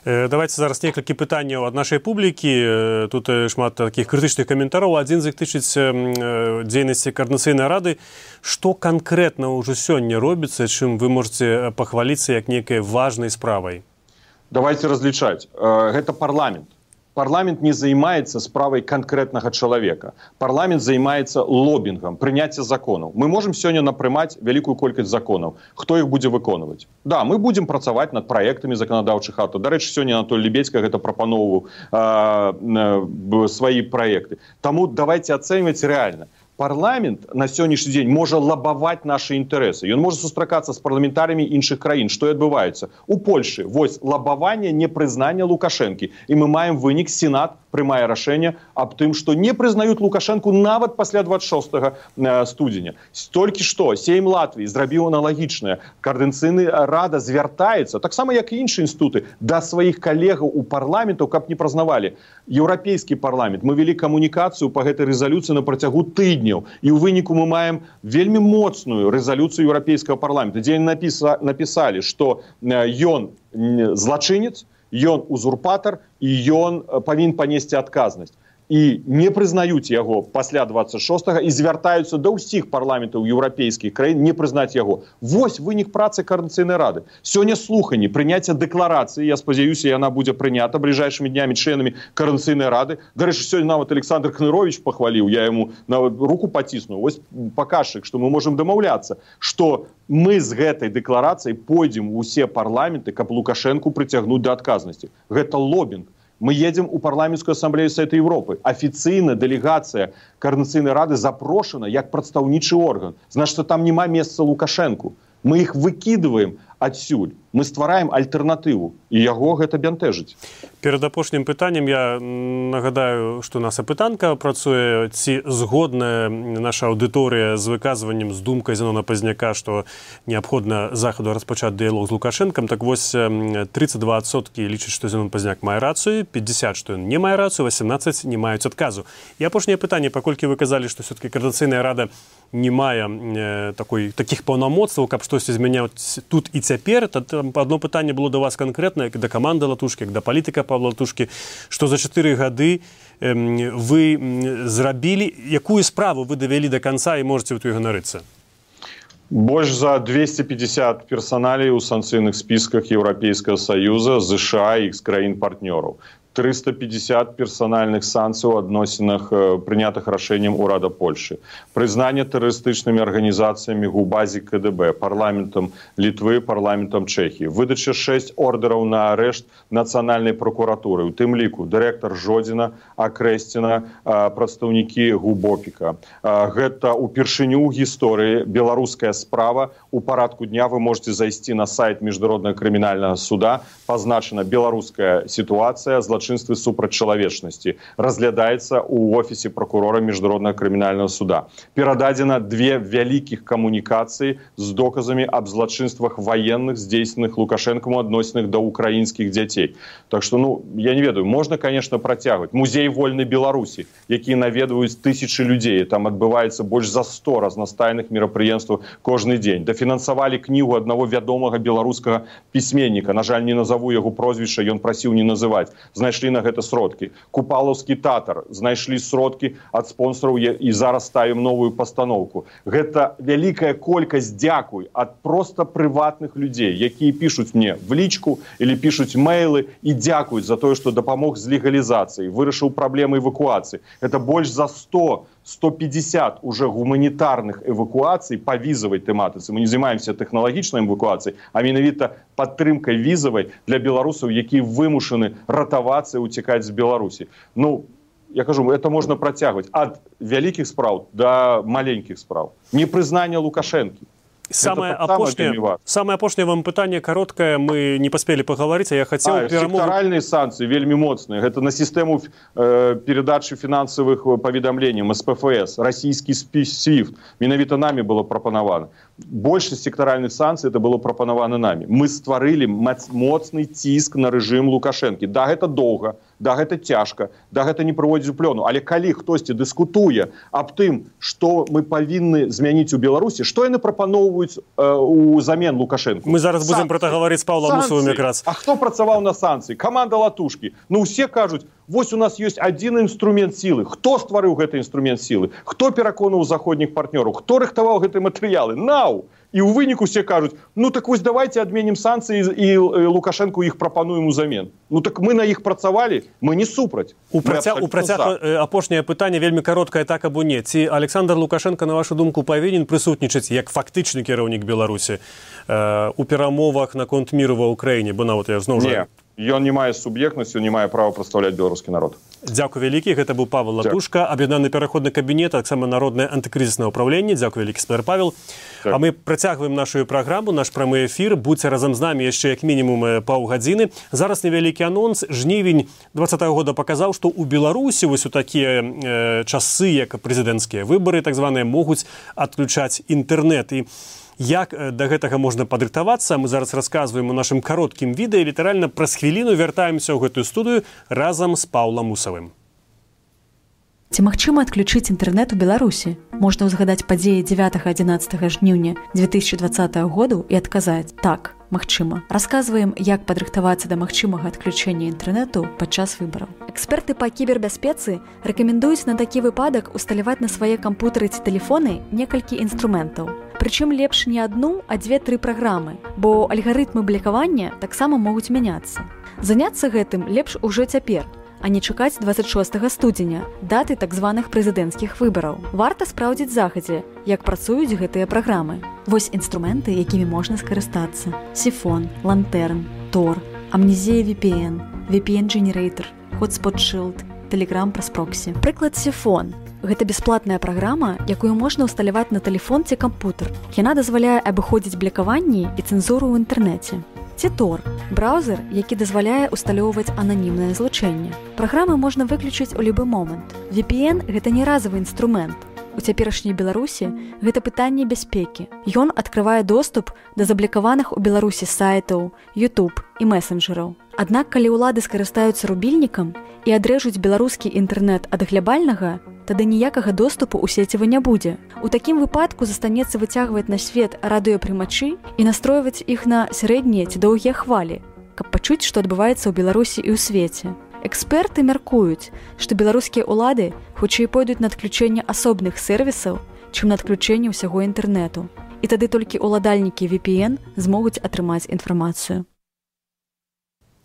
Давайте зараз некалькі пытанняў ад нашай публікі. Тут шмат такіх крытычных каментараў. Адзін з іх тычыць дзейнасці Коордынацыйнай рады. Што канкрэтна ўжо сёння робіцца, чым вы можаце пахваліцца як некай важнай справай? Давайте различать. Это парламент. Парламент не занимается справой конкретного человека. Парламент занимается лоббингом, принятием законов. Мы можем сегодня напрымать великую колькость законов. Кто их будет выконывать? Да, мы будем pracować над проектами законодавчих актов. До речі, сегодня Анатолий Лебедько это пропановывал э, э, свои проекты. Тому давайте оценивать реально. Парламент на сённяшні дзень можа лабаваць нашы інтарэсы. Ён можа сустракацца з парламентарыямі іншых краін. Што і адбываецца? У Польшы вось лабаванне непрызнання Лукашэнкі. І мы маем вынік, Сенат прымае рашэнне аб тым, што не прызнаюць Лукашэнку нават пасля двадцать шостага студзеня. Толькі што Сейм Латвіі зрабіў аналагічнае. Коордынацыйная рада звяртаецца, таксама як і іншыя інстытуты, да сваіх калегаў у парламенту, каб не прызнавалі. Еўрапейскі парламент. Мы вялі камунікацыю па гэтай рэзалюцыі на працягу тыдня. І ў выніку мы маем вельмі моцную рэзалюцыю Еўрапейскага парламента, дзе напіса, напісалі, што ён злачынец, ён узурпатар і ён павінен панесці адказнасць. І не прызнаюць яго пасля двадцать шостага і звяртаюцца да ўсіх парламентаў еўрапейскіх краін не прызнаць яго. Вось вынік працы Коордынацыйнай рады. Сёння слуханні, прыняцце дэкларацыі, я спадзяюся, яна будзе прынята бліжэйшымі днямі членамі Коордынацыйнай рады. Дарэчы, сёння нават Александр Кнырович пахваліў, я яму нават руку паціснуў. Вось паказчык, што мы можам дамаўляцца, што мы з гэтай дэкларацыяй пойдзем у ўсе парламенты, каб Лукашэнку прыцягнуць да адказнасці. Гэта лоббінг. Мы едем у парламентскую ассамблею Совета Европы. Официально делегация Коордынацыйнай рады запрошена як прадстаўнічы орган. Значит, там нема месца Лукашэнку. Мы их выкидываем адсюль. Мы ствараем альтэрнатыву. І яго гэта бянтэжыць. Перад апошнім пытаннем я нагадаю, што наша пытанка працуе, ці згодная наша аўдыторыя з выказваннем, з думкай Зенона Пазняка, што неабходна захаду распачаць дыялог з Лукашэнкам. Так вось, тридцать два адсоткі лічаць, што Зенон Пазняк мае рацыю, пятьдесят, што ён не мае рацыю, восемнадцать не маюць адказу. І апошняе пытанне, паколькі вы казалі, што все-таки Коордынацыйная рада не мае э, такой, такіх паўнамоцтваў, каб штосьці змяняць тут і цяпер, то одно пытанне было до вас конкретно, як да каманды Латушкі, як да палітыка Павла Латушкі, што за чатыры гады э, вы зрабілі, якую справу вы давялі до конца і можете вот ганарыцца? Больш за двести пятьдесят персоналей у санкцыйных списках Европейского Союза, США и их краін-партнёраў. триста пятьдесят персональных санкций в адносінах, принятых рашением Урада Польши. Признание террористичными организациями ГУБАЗі КДБ, парламентом Литвы, парламентом Чехии. Выдача шесть ордеров на арешт Национальной прокуратуры. У тым ліку директор Жодина, Акрэсціна, прадстаўнікі ГУБОПіка. Гэта упершыню ў гісторыі беларуская справа. У парадку дня вы можете зайти на сайт Международного криминального суда. Позначена белорусская ситуация, злочинство супраць чалавечнасці. Разглядаецца у офісе прокурора Международного криминального суда. Перададзена две вялікіх камунікацыі з доказамі аб злачынствах военных, здзейсненых Лукашэнкам у адносінах да украінскіх дзяцей. Так что, ну, я не ведаю, можно, конечно, працягваць. Музей вольнай Беларусі, які наведваюць тысячи людей. Там адбываецца больш за сто разнастайных мерапрыемстваў кожны дзень. Дафінансавалі кнігу аднаго вядомага беларускага пісьменніка. На жаль, не назову яго прозвішча, ён прасіў не называць. Знайшлі на гэта сродкі. Купалаўскі тэатр знайшлі сродкі ад спонсораў і зараз ставім новую пастаноўку. Гэта вялікая колькасць дзякуй ад проста прыватных людзей, якія пішуць мне в лічку или пішуць мэйлы і дзякуюць за тое, што дапамог з легалізацыяй, вырашыў праблемы эвакуацыі. Это больш за сто сто пятьдесят уже гуманитарных эвакуаций по визовой тематике. Мы не занимаемся технологичной эвакуацией, а менавіта падтрымкай визовой для белорусов, які вымушаны ратавацца и утекать з Беларусі. Ну, я кажу, это можно протягивать от великих справ до маленьких справ. Непризнание Лукашенки. Самое опошнее, самое опошнее вам питание короткое, мы не поспели поговорить, а я хотел... А, перемогу... Секторальные санкции, вельми моцные. Это на систему э, передачи финансовых поведомлений, эс пэ эф эс, российский свифт. Менавіта нами было пропановано. Больше секторальных санкций это было пропановано нами. Мы створили моцный тиск на режим Лукашенко. Да, это долго, да, это тяжко, да, это не проводить у плену. Але калі хтосьці дыскутуе аб тым, што мы павінны змяніць у Беларусі, што яны прапаноўваюць э, у замен Лукашенко? Мы зараз будзем пра гэта гаварыць з Паўлам Усавым якраз. А хто працаваў на санкцыі? Каманда Латушкі. Ну, усе кажуць, вось у нас ёсць адзін інструмент сілы. Хто стварыў гэты інструмент сілы? Хто пераконаў заходніх партнёраў? Хто рыхтаваў гэтыя матэрыялы? Нау! І ў выніку все кажуць, ну так вось давайте адменім санкцыі і Лукашенку іх прапануем узамен. Ну так мы на іх працавалі, мы не супраць. У працяг, у працяг апошняе пытанне вельмі кароткае, так або не. Ці Александр Лукашенко, на вашу думку, павінен прысутнічаць як фактычны кіраўнік Беларусі э, у перамовах наконт міру ва Ўкраіне? Бо нават я зноў жа... Ён не мае суб'ектнасці, не мае права прадстаўляць беларускі народ. Дзякуй вялікі. Гэта быў Павел Латушка, аб'яднаны пераходны кабінет, а таксама народнае антыкрызіснае ўпраўленне. Дзякуй вялікі, спадар Павел. Так. А мы працягваем нашу праграму, наш прамы эфір. Будзьце разам з намі яшчэ як мінімум паўгадзіны. Зараз невялікі анонс. Жнівень двадцатага года паказаў, што ў Беларусі вось у такія э, часы, як прэзідэнцкія выбары, так званыя, могуць адключаць інтэрнэт. І як да гэтага можна падрыхтавацца, мы зараз расказваем у нашым кароткім відэа, літаральна праз хвіліну вяртаемся ў гэтую студыю разам з Паўлам Усавым. Ці магчыма адключыць інтэрнэт у Беларусі? Можна ўзгадаць падзеі дзевятага-адзінаццатага жніўня две тысячы двадцатага году і адказаць: так, магчыма. Расказваем, як падрыхтавацца да магчымага адключэння інтэрнэту падчас выбараў. Эксперты па кібербяспецы рэкамендуюць на такі выпадак усталяваць на свае кампутары ці тэлефоны некалькі інструментаў. Прычым лепш не адну, а дзве-тры праграмы, бо альгарытмы блакавання таксама могуць мяняцца. Заняцца гэтым лепш ужо цяпер, а не чакаць дваццаць шостага студзеня, даты так званых прэзідэнцкіх выбараў. Варта спраўдзіць загадзя, як працуюць гэтыя праграмы. Вось інструменты, якімі можна скарыстацца: Сифон, Лантерн, Тор, Амнезія ви пі эн, ви пі эн Generator, Hotspot Shield, Telegram праз проксі. Прыклад Сифон. Гэта бясплатная праграма, якую можна ўсталяваць на тэлефон ці кампутар. Яна дазваляе абыходзіць блакаванні і цэнзуру ў інтэрнэце. Ці Тор – браузер, які дазваляе ўсталёўваць ананімнае злучэнне. Праграмы можна выключыць у любы момант. ви пі эн – гэта не разовы інструмент. У цяперашняй Беларусі гэта пытанне бяспекі. Ён адкрывае доступ да заблакаваных у Беларусі сайтаў, YouTube і месенджераў. Аднак, калі ўлады скарыстаюцца рубільнікам і адрэжуць беларускі інтэрнэт ад глябальнага, тады ніякага доступу ў сеціва не будзе. У такім выпадку застанецца выцягваць на свет радыёпрымачы і настройваць іх на сярэднія ці доўгія хвалі, каб пачуць, што адбываецца ў Беларусі і ў свеце. Эксперты мяркуюць, што беларускія ўлады хутчэй пойдуць на адключэнне асобных сервісаў, чым на адключэнне ўсяго інтэрнэту. І тады толькі ўладальнікі ви пі эн змогуць атрымаць інфармацыю.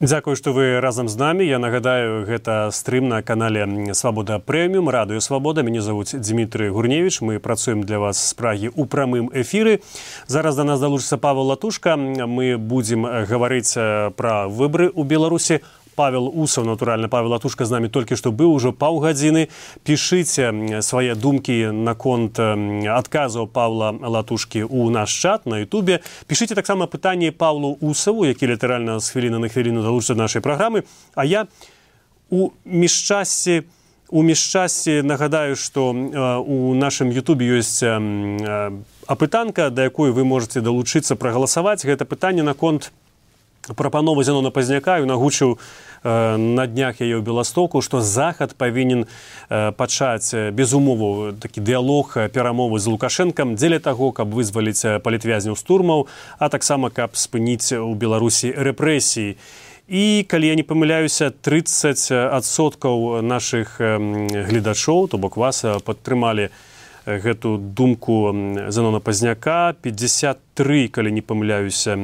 Дзякую, што вы разам з намі. Я нагадаю, гэта стрым на канале Свабода Прэміум, Радыё Свабода. Мяне завуць Дмітрый Гурневіч. Мы працуем для вас з Прагі ў прамым эфіры. Зараз да нас далучыцца Павел Латушка. Мы будзем гаварыць пра выбары ў Беларусі. Павел Усов, натуральна, Павел Латушка з намі толькі што быў ужо паўгадзіны. Пішыце свае думкі наконт адказаў Павла Латушкі ў наш чат на Ютубе. Пішыце таксама пытанні Павлу Усову, які літаральна з хвіліны на хвіліну далучыцца да нашай праграмы. А я у міжчассі у міжчассі нагадаю, што у нашым Ютубе ёсць апытанка, да якой вы можаце далучыцца прагаласаваць. Гэта пытанне наконт прапановы Зянона Пазняка. Ён агучыў э, на днях яе ў Беластоку, што Захад павінен э, пачаць без умоваў такі дыялог, перамовы з Лукашэнкам дзеля таго, каб вызваліць палітвязняў з турмаў, а таксама каб спыніць у Беларусі рэпрэсіі. І калі я не памыляюся, трыццаць адсоткаў нашых э, гледачоў, то бок вас падтрымалі гэту думку Зянона Пазняка, пятьдесят три, калі не памыляюся,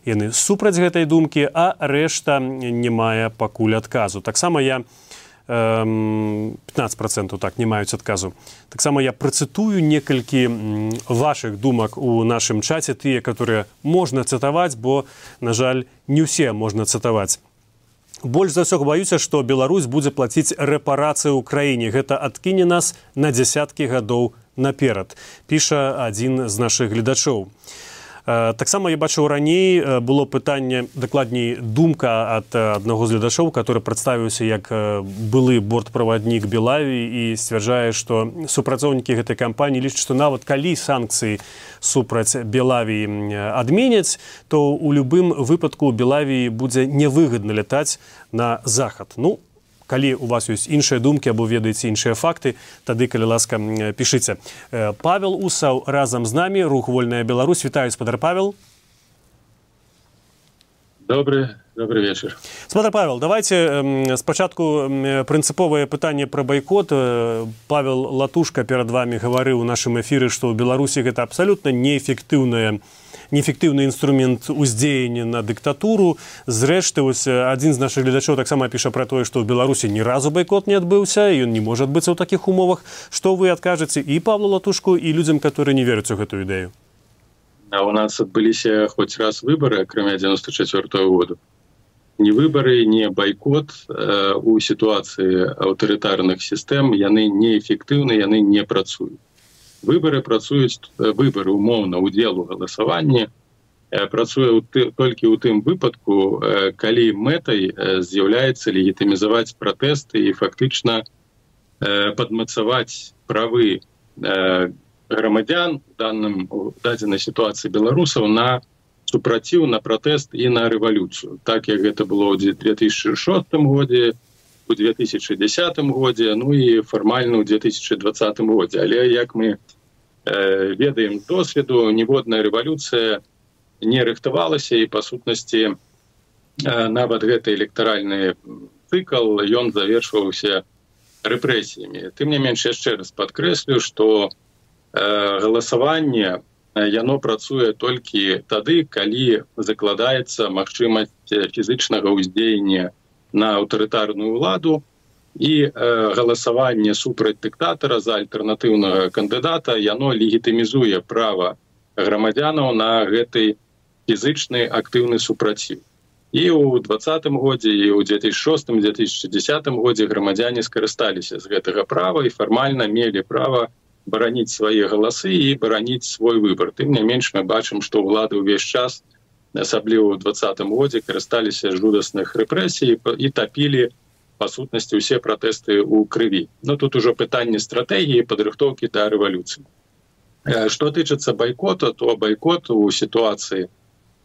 яны супраць гэтай думкі, а рэшта не мае пакуль адказу. Таксама я пятнадцать процентов так не маюць адказу. Таксама я працытую некалькі вашых думак у нашым чаце, тыя, которые можна цытаваць, бо, на жаль, не ўсе можна цытаваць. Больш за ўсё баюся, што Беларусь будзе плаціць рэпарацыі ў краіне. Гэта адкіне нас на дзясяткі гадоў наперад, піша адзін з нашых гледачоў. Таксама я бачыў раней было пытанне, дакладней думка ад аднаго з гледачоў, который прадставіўся як былы бортправаднік Белаві і сцвярджае, што супрацоўнікі гэтай кампаніі лічаць, што нават калі санкцыі супраць Белаві адменяць, то ў любым выпадку Белаві будзе невыгадна лятаць на захад. Ну, калі у вас ёсць іншыя думкі або ведаеце іншыя факты, тады, калі ласка, пішыце. Павел Усаў разам з намі, рух «Вольная Беларусь». Вітаю, спадар Павел. Добрый, добрый вечер. Спадар Павел, давайте спачатку прынцыповае пытанне пра байкот. Павел Латушка перад вами гаварыў у нашым эфіры, што ў Беларусі гэта абсалютна неэфектыўная неэфектыўны інструмент уздзеяння на дыктатуру. Зрэшты, вось адзін з нашых гледачоў таксама піша пра тое, што ў Беларусі ні разу байкот не адбыўся, і ён не можа адбыцца ў такіх умовах. Што вы адкажаце і Павлу Латушку, і людзям, которые не вераць у гэтую ідэю? А у нас адбыліся хоць раз выбары, акрамя девяносто четвёртого года. Ні выбары, ні байкот э, у сітуацыі аўтарытарных сістэм, яны неэфектыўны, яны не працуюць. Выборы працуюць, выборы умоўна удзел у галасаванні працуе толькі ў тым выпадку, калі мэтай з'яўляецца легітымізаваць пратэсты і фактычна падмацаваць правы грамадзян у данным у дадзенай сітуацыі беларусаў на супраціў, на пратэст і на рэвалюцыю. Так як гэта было ў две тысячи шостым годзе, у две тысячи десятым годзе, ну і фармальна ў две тысячи двадцатым годзе. Але як мы э, ведаем з досведу, ніводная рэвалюцыя не рыхтавалася, і па сутнасці э, нават гэты электаральны цыкл, ён завершваўся рэпрэсіямі. Тым не менш, яшчэ раз падкрэслю, што э, галасаванне яно працуе толькі тады, калі закладаецца магчымасць фізычнага ўздзеяння на аўтарытарную ўладу, і э, галасаванне супраць дыктатара за альтэрнатыўнага кандыдата, яно легітымізуе права грамадзянаў на гэты фізычны актыўны супраціў. І ў двадцатым годзе, і ў две тысячи шостым — две тысячи десятым годзе грамадзяне скарысталіся з гэтага права і фармальна мелі права бараніць свае галасы і бараніць свой выбар. Тым не менш, мы бачым, што ўлады ўвесь час, асабліва ў двадцатым годзе, карысталіся жудасных рэпрэсій і тапілі, па сутнасці, усе пратэсты ў крыві. Ну, тут ужо пытанне стратэгіі, падрыхтоўкі да рэвалюцыі. Што тычыцца байкота, то байкот у сітуацыі,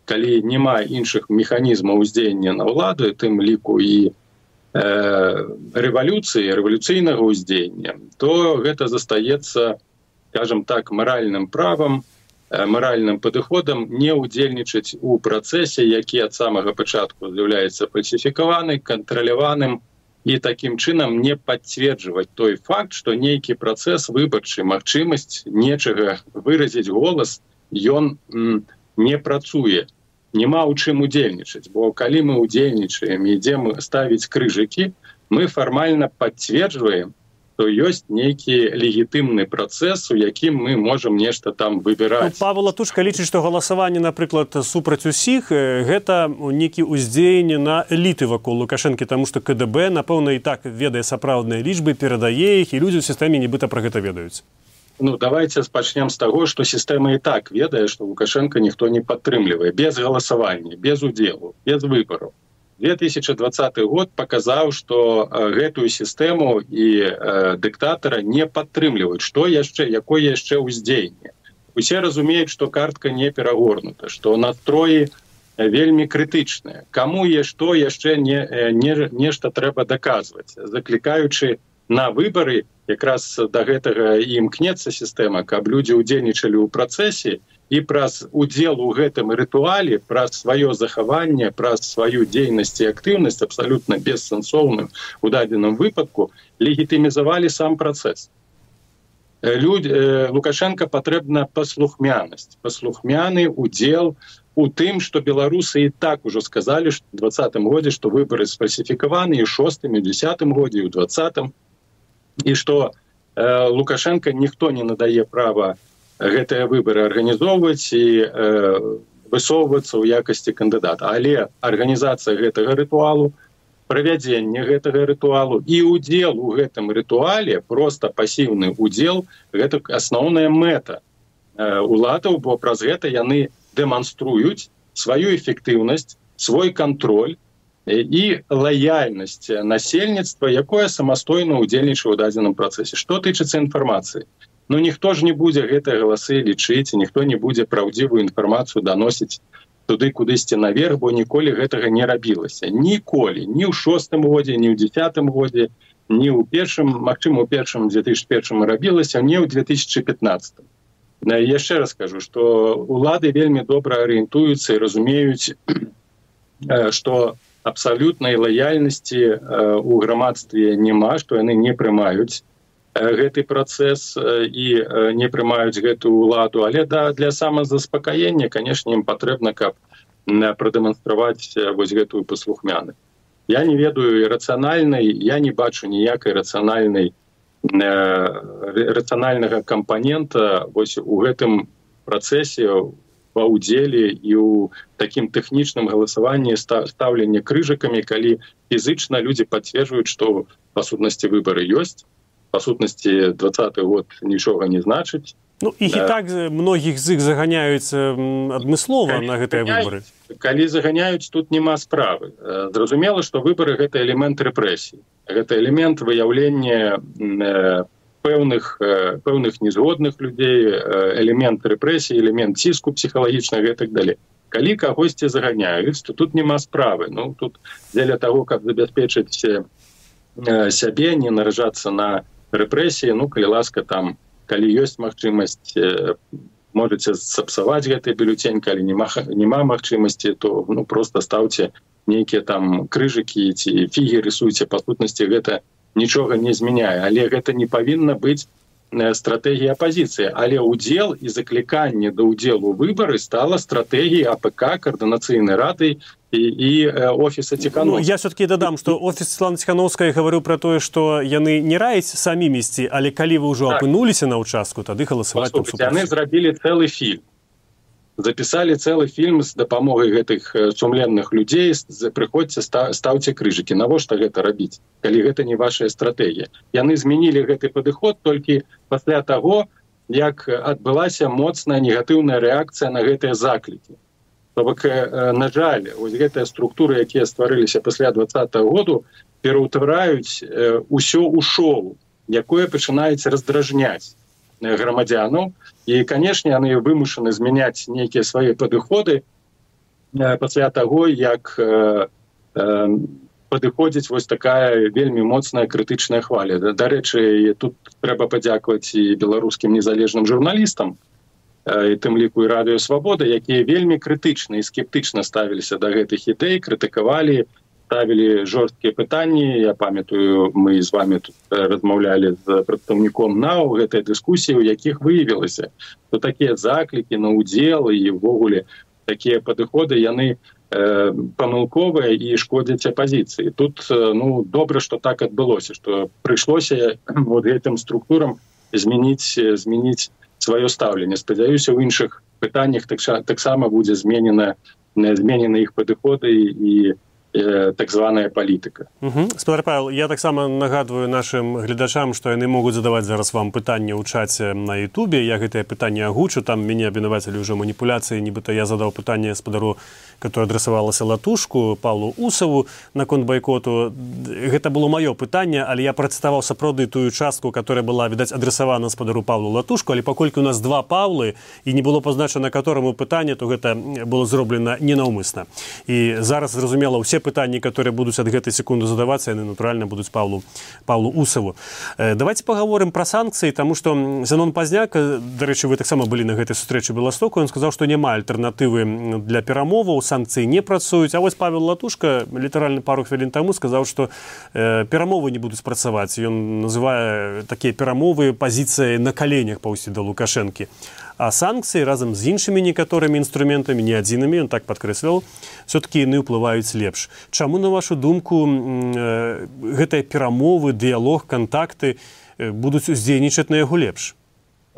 калі няма іншых механізмаў уздзеяння на ўладу, тым ліку і э, рэвалюцыі, рэвалюцыйнага ўздзеяння, то гэта застаецца, скажем так, маральным правам, маральным падыходам не ўдзельнічаць у працэсе, які ад самага пачатку з'яўляецца фальсіфікаваны, кантраляваным, і такім чынам не пацверджваць той факт, што нейкі працэс выбарчы, магчымасць нечага выразіць голас, ён м, не працуе. Нема ў чым удзельнічаць, бо калі мы удзельнічаем і ідзем ставіць крыжыкі, мы фармальна пацверджваем, то ёсць нейкі легітымны працэс, у якім мы можам нешта там выбіраць. Ну, Павел Латушка лічыць, што галасаванне, напрыклад, супраць усіх, гэта нейкі ўздзеянне на эліты вакол Лукашэнкі, таму што ка дэ бэ, напэўна, і так ведае сапраўдныя лічбы, перадае іх, і людзі ў сістэме нібыта пра гэта ведаюць. Ну, давайте пачнем з таго, што сістэма і так ведае, што Лукашэнка ніхто не падтрымлівае, без галасавання, без удзелу, без выбараў. две тысячи двадцатый год паказаў, што э, гэтую сістэму і э, дыктатара не падтрымліваюць. Што яшчэ, якое яшчэ ўздзеянне? Усе разумеюць, што картка не перагорнута, што настроі вельмі крытычныя. Каму і што яшчэ не, не, нешта трэба даказваць, заклікаючы на выбары, якраз да гэтага і імкнецца сістэма, каб людзі ўдзельнічалі ў працэсе, і праз удзел у гэтым рытуале, праз сваё захаванне, праз сваю дзейнасць і актыўнасць, абсалютна бессэнсоўным у дадзеным выпадку, легітымізавалі сам працэс. Люд... Лукашенко патрэбна паслухмянасць, паслухмяны удзел у тым, што беларусы і так ужо сказалі што ў двадцатым годзе, што выбары сфальсіфікаваны і ў шостым, і ў дзесятым годзе, і ў двадцатым, і што э, Лукашенко ніхто не надае права гэтыя выбары арганізоўваць і э, высоўвацца ў якасці кандыдата. Але арганізацыя гэтага рытуалу, правядзенне гэтага рытуалу і ўдзел у гэтым рытуале, проста пасіўны ўдзел, гэта асноўная мэта уладаў, бо праз гэта яны дэманструюць сваю эфектыўнасць, свой кантроль і лаяльнасць насельніцтва, якое самастойна ўдзельнічае ў дадзеным працэсе. Што тычыцца інфармацыі? Ну, ніхто ж не будзе гэтыя галасы лічыць, ніхто не будзе праўдзівую інфармацыю даносіць туды кудысьці наверх, бо ніколі гэтага не рабілася. Ніколі. Ні ў шостым годзе, ні ў дзесятым годзе, ні ў першым, магчыма, у першым две тысячы першым рабілася, ні ў две тысячы пятнаццатым. Яшчэ раз скажу, што улады вельмі добра арыентуюцца і разумеюць, што абсалютнай лаяльнасці у грамадстве няма, што яны не прымаюць гэты працэс і не прымаюць гэтую ўладу, але да, для самазаспакаення, канешне, ім патрэбна, каб прадэманстраваць вось гэтую паслухмянасць. Я не ведаю рацыянальнай, я не бачу ніякай рацыянальнай рацыянальнага кампанента вось у гэтым працэсе ва ўдзеле і ў такім тэхнічным галасаванні стаўленні крыжыкамі, калі фізычна людзі пацверджваюць, што па сутнасці выбары ёсць, па сутнасці двадцаты год нічога не значыць. Ну, іх і так многіх з іх заганяюць адмыслова на гэтыя выбары. Калі заганяюць, тут няма справы. Зразумела, што выбары — гэта элемент рэпрэсій. Гэта элемент выяўлення пэўных, пэўных незгодных людзей, элемент рэпрэсій, элемент ціску псіхалагічнага і так далей. Калі кагосьці заганяюць, то тут няма справы. Ну, тут дзеля таго, каб забяспечыць сябе, не наражацца на рэпрэсіі, ну, калі ласка, там, калі ёсць магчымасць, можаце сапсаваць гэты бюлетень, калі няма магчымасці, то, ну, проста стаўце нейкія там крыжыкі ці фігі рысуйце, па сутнасці гэта нічога не змяняе, але гэта не павінна быць стратэгія апазіцыі, але ўдзел і закліканне да ўдзелу выбары стала стратэгіяй АПК, Координацыйнай рады і, і офіса Ціхановскай. Ну, я все-таки дадам, што офіс Святланы Ціхановскай гаварыў пра тое, што яны не раяць самі ісці, але калі вы ўжо так апынуліся на ўчастку, тады галасаваць там супраць. Яны зрабілі цэлы фільм. Запісалі цэлы фільм з дапамогай гэтых сумленных людзей, прыходзьце, стаўце крыжыкі. Навошта гэта рабіць, калі гэта не вашая стратэгія? Яны змянілі гэты падыход толькі пасля таго, як адбылася моцная негатыўная рэакцыя на гэтыя заклікі. То бок, на жаль, вось гэтыя структуры, якія стварыліся пасля двадцатага году, пераўтвараюць усё ў шоу, якое пачынаюць раздражняць грамадзянаў. І, канешне, яны вымушаны змяняць нейкія свае падыходы пасля таго, як падыходзіць вось такая вельмі моцная крытычная хваля. Дарэчы, тут трэба падзякаваць і беларускім незалежным журналістам, і тым ліку і Радыё Свабода, якія вельмі крытычна і скептычна ставіліся да гэтых ідэй, крытыкавалі, ставілі жорсткія пытанні. Я памятаю, мы з вами тут размаўлялі з прадстаўніком НАУ гэтай дыскусіі, у якіх выявілася, што такія заклікі на ўдзел і ўвогуле такія падыходы, яны э, памылковыя і шкодзяць апазіцыі. Тут, ну, добра, што так адбылося, што прыйшлося вот гэтым структурам змяніць, змяніць сваё стаўленне. Спадзяюся, у іншых пытаннях таксама будзе зменена, зменены іх падыходы і так званая палітыка. Угу. Спадар Павел, я таксама нагадваю нашим гледачам, што яны могуць задаваць зараз вам пытанне ў чаце на Ютубе. Я гэтае пытанне агучу, там мяне абвінавацілі ўжо маніпуляцыі, нібыта я задаў пытанне спадару, которое адрасавалася Латушку, Павлу Усаву наконт байкоту. Гэта было маё пытанне, але я працытаваў сапраўды тую частку, которая была, відаць, адрасавана спадару Павлу Латушку, але паколькі у нас два Павлы і не было пазначана которому пытанне, то гэта было зроблена ненаўмысна. І зараз, зразумела, усе пытанні, которые будуць ад гэтай секунды задавацца, яны, натуральна, будуць Павлу, Павлу Усаву. Э, давайте паговорым пра санкцыі, таму што Зенон Пазняк, дарэчы, вы таксама былі на гэтай сустрэчы Беластоку, ён сказаў, што няма альтэрнатывы для перамоваў, санкцыі не працуюць. А вось Павел Латушка літаральна пару хвілін таму сказаў, што э, перамовы не будуць працаваць. Ён называе такія перамовы пазіцыяй на каленях паўсці да Лукашэнкі. А санкцыі разам з іншымі некаторымі інструментамі, не адзінымі, ён так падкрэсліваў, все-таки яны ўплываюць лепш. Чаму, на вашу думку, гэтыя перамовы, дыялог, кантакты будуць уздзейнічаць на яго лепш?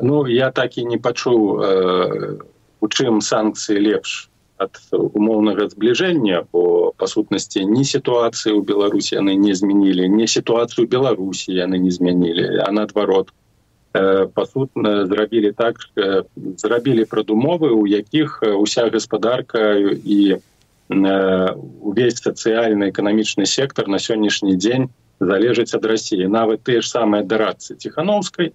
Ну, я так і не пачуў, у чым санкцыі лепш ад умоўнага збліжэння, бо бо па сутнасці ні сітуацыі ў Беларусі яны не змянілі, ні сітуацыю Беларусі яны не змянілі, а наадварот па сутна зрабілі так, зрабілі прадумовы, у якіх уся гаспадарка і увесь сацыяльны эканамічны сектар на сённяшні дзень залежыць ад Расіі. Нават тыя ж самыя дарадцы Ціханаўскай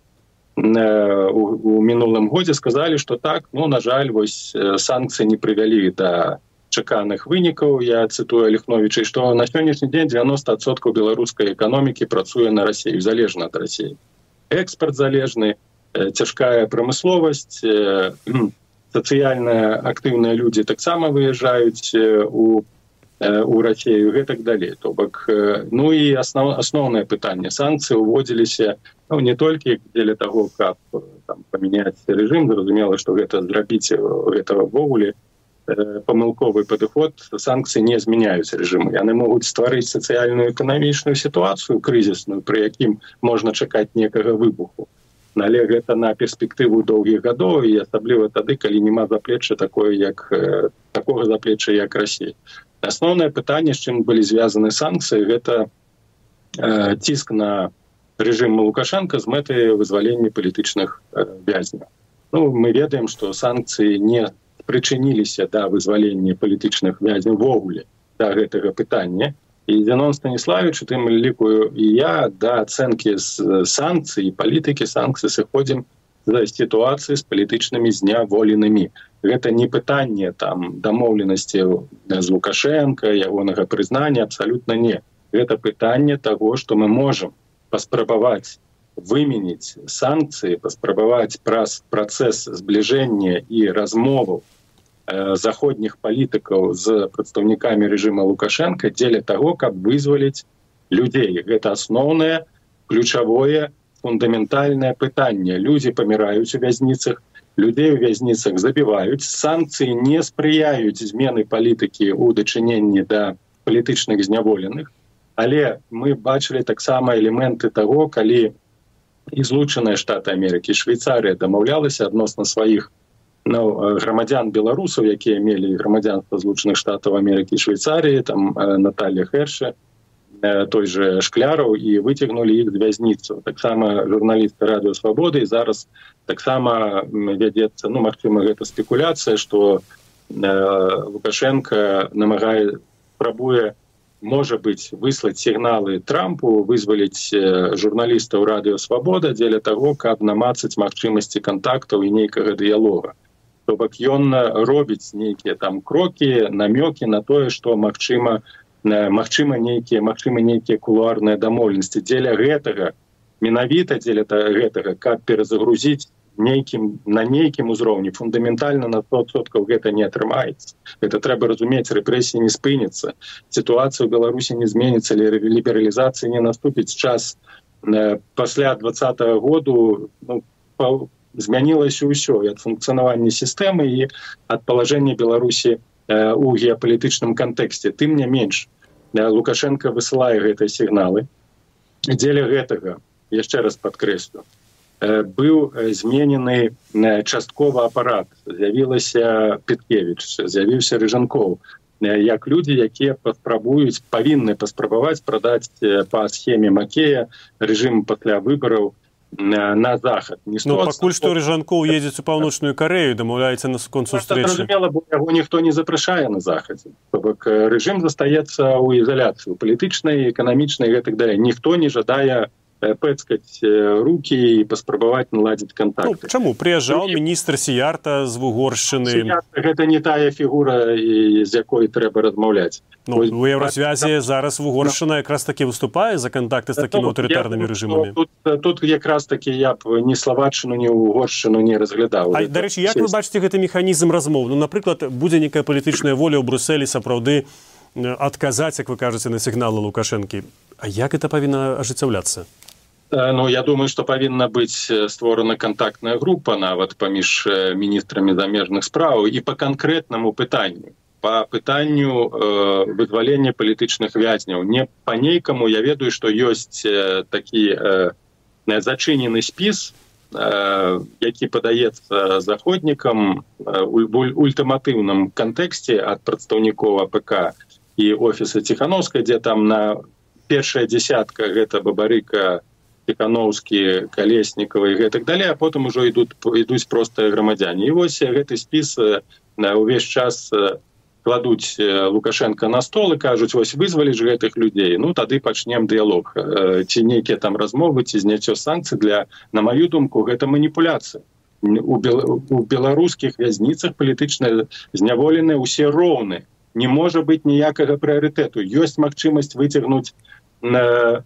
у мінулым годзе сказалі, што так, ну, на жаль, вось санкцыі не прывялі да чаканых вынікаў, я цытую Ліхновіча, што на сённяшні дзень дзевяносто адсоткаў беларускай эканомікі працуе на Расію, залежна ад Расіі. Экспарт залежны, цяжкая прамысловасць, сацыяльна актыўныя людзі таксама выязджаюць у, у Расію, гэтак далей. То бок, ну і аснов, асноўнае пытанне. Санкцыі ўводзіліся ну, не толькі дзеля таго, каб там, памяняць рэжым, зразумела, што гэта зрабіць гэта ўвогуле памылковы падыход, санкцыі не змяняюць рэжымы. Яны могуць стварыць сацыяльную эканамічную сітуацыю крызісную, пры якім можна чакаць некага выбуху. Але гэта на перспектыву доўгіх гадоў і асабліва тады, калі няма заплечча такое, як такога заплечча, як Расія. Асноўнае пытанне, з чым былі звязаны санкцыі, гэта э, ціск на рэжым Лукашенка з мэтай вызвалення палітычных э, вязняў. Ну, мы ведаем, што санкцыі не прычыніліся да вызвалення палітычных вязняў вогуле да гэтага пытання. І Зенон Станіславіч, у тым ліку і я, да ацэнкі з санкцый і палітыкі санкцый сыходзім з сітуацыі з палітычнымі зняволенымі. Гэта не пытанне там дамоўленасці з Лукашенка, ягонага прызнання, абсалютна не. Гэта пытанне таго, што мы можам паспрабаваць выменіць санкцыі, паспрабаваць праз працэс збліжэння і размоваў заходніх палітыкаў з прадстаўнікамі рэжыма Лукашенка дзеля таго, каб вызваліць людзей. Гэта асноўнае, ключавое, фундаментальнае пытанне. Людзі паміраюць у вязніцах, людзей у вязніцах забіваюць, санкцыі не спрыяюць змены палітыкі ў дачыненні да палітычных зняволеных, але мы бачылі таксама элементы таго, калі і Злучаныя Штаты Амерыкі, Швейцарыя дамаўлялася адносна сваіх ну, грамадзян беларусаў, якія мелі грамадзянства Злучаных Штатаў Амерыкі і Швейцарыі, там Наталья Херше, той же Шкляраў, і выцягнулі іх з вязніцу. Таксама журналісты Радыё Свабоды, і зараз таксама вядзецца, ну, магчыма, гэта спекуляцыя, што Лукашенко намагае, спрабуе, можа быць, выслаць сігналы Трампу, вызваліць журналістаў Радыё Свабода дзеля таго, каб намацаць магчымасці кантактаў і нейкага дыялога. То бок ён робіць нейкія там крокі, намёкі на тое, што магчыма, магчыма нейкія, магчыма нейкія кулуарныя дамоўленасці. Дзеля гэтага, менавіта дзеля гэтага, каб перазагрузіць нейкім, на нейкім узроўні, фундаментальна на сто адсоткаў гэта не атрымаецца. Гэта трэба разумець, рэпрэсіі не спыняцца, сітуацыя ў Беларусі не зменіцца, лібералізацыі не наступіць. Час пасля двадцатага году ну, змянілася ўсё і ад функцыянавання сістэмы і ад палажэння Беларусі у геапалітычным кантэксце. Тым не менш, Лукашенко высылае гэтыя сігналы. Дзеля гэтага, яшчэ раз падкрэслю, быў зменены часткова апарат. З'явілася Петкевіч, з'явіўся Рыжанкоў, як людзі, якія паспрабуюць, павінны паспрабаваць прадаць па схеме Макея рэжым пасля выбараў на захад. Ну, пакуль што Рыжанкоў едзець у Паўночную Карэю, дамаўляецца на скон сустрэчы. Зразумела, бо яго ніхто не запрашае на захадзе. То бок рэжым застаецца ў ізаляцыі, палітычнай, эканамічнай і гэтак далей. Ніхто не жадае пэцкаць рукі і паспрабаваць наладзіць кантакты. Ну, чаму? Прыязджаў міністр Сіярта з Вугоршчыны. Сіярта гэта не тая фігура, з якой трэба размаўляць. Ну, у Еўразвязе зараз Вугоршчына якраз такі выступае за кантакты з такімі аўтарытарнымі рэжымамі. Тут, тут якраз такі я б ні Славаччыну, ні Вугоршчыну не разглядаў. А, дарэчы, як вы бачыце гэты механізм размоў? Ну, напрыклад, будзе некая палітычная воля ў Брусэлі сапраўды адказаць, як вы кажаце, на сігналы Лукашэнкі. А як гэта павінна ажыццяўляцца? Ну, я думаю, што павінна быць створана кантактная група нават паміж міністрамі замежных спраў і па канкрэтнаму пытанню. Па пытанню э, вызвалення палітычных вязняў. Не па нейкаму, я ведаю, што ёсць э, такі э, зачынены спіс, э, які падаецца заходнікам э, у ультыматыўным кантэксце ад прадстаўнікоў АПК. і офіса Ціхановскай, дзе там на першая дзясятка гэта Бабарыка, Ціхановскі, Калеснікава і гэтак далей, а потым ужо ідуць, ідуць простыя грамадзяне. І вось гэты спіс увесь час кладуць Лукашенко на стол і кажуць, вось вызваліш гэтых людзей, ну тады пачнем дыялог. Ці нейкія там размовы, ці зняццё санкцый, для, на маю думку, гэта маніпуляцыя. У, бел... у беларускіх вязніцах палітычна зняволеныя ўсе роўны. Не можа быць ніякага прыярытэту. Ёсць магчымасць выцягнуць на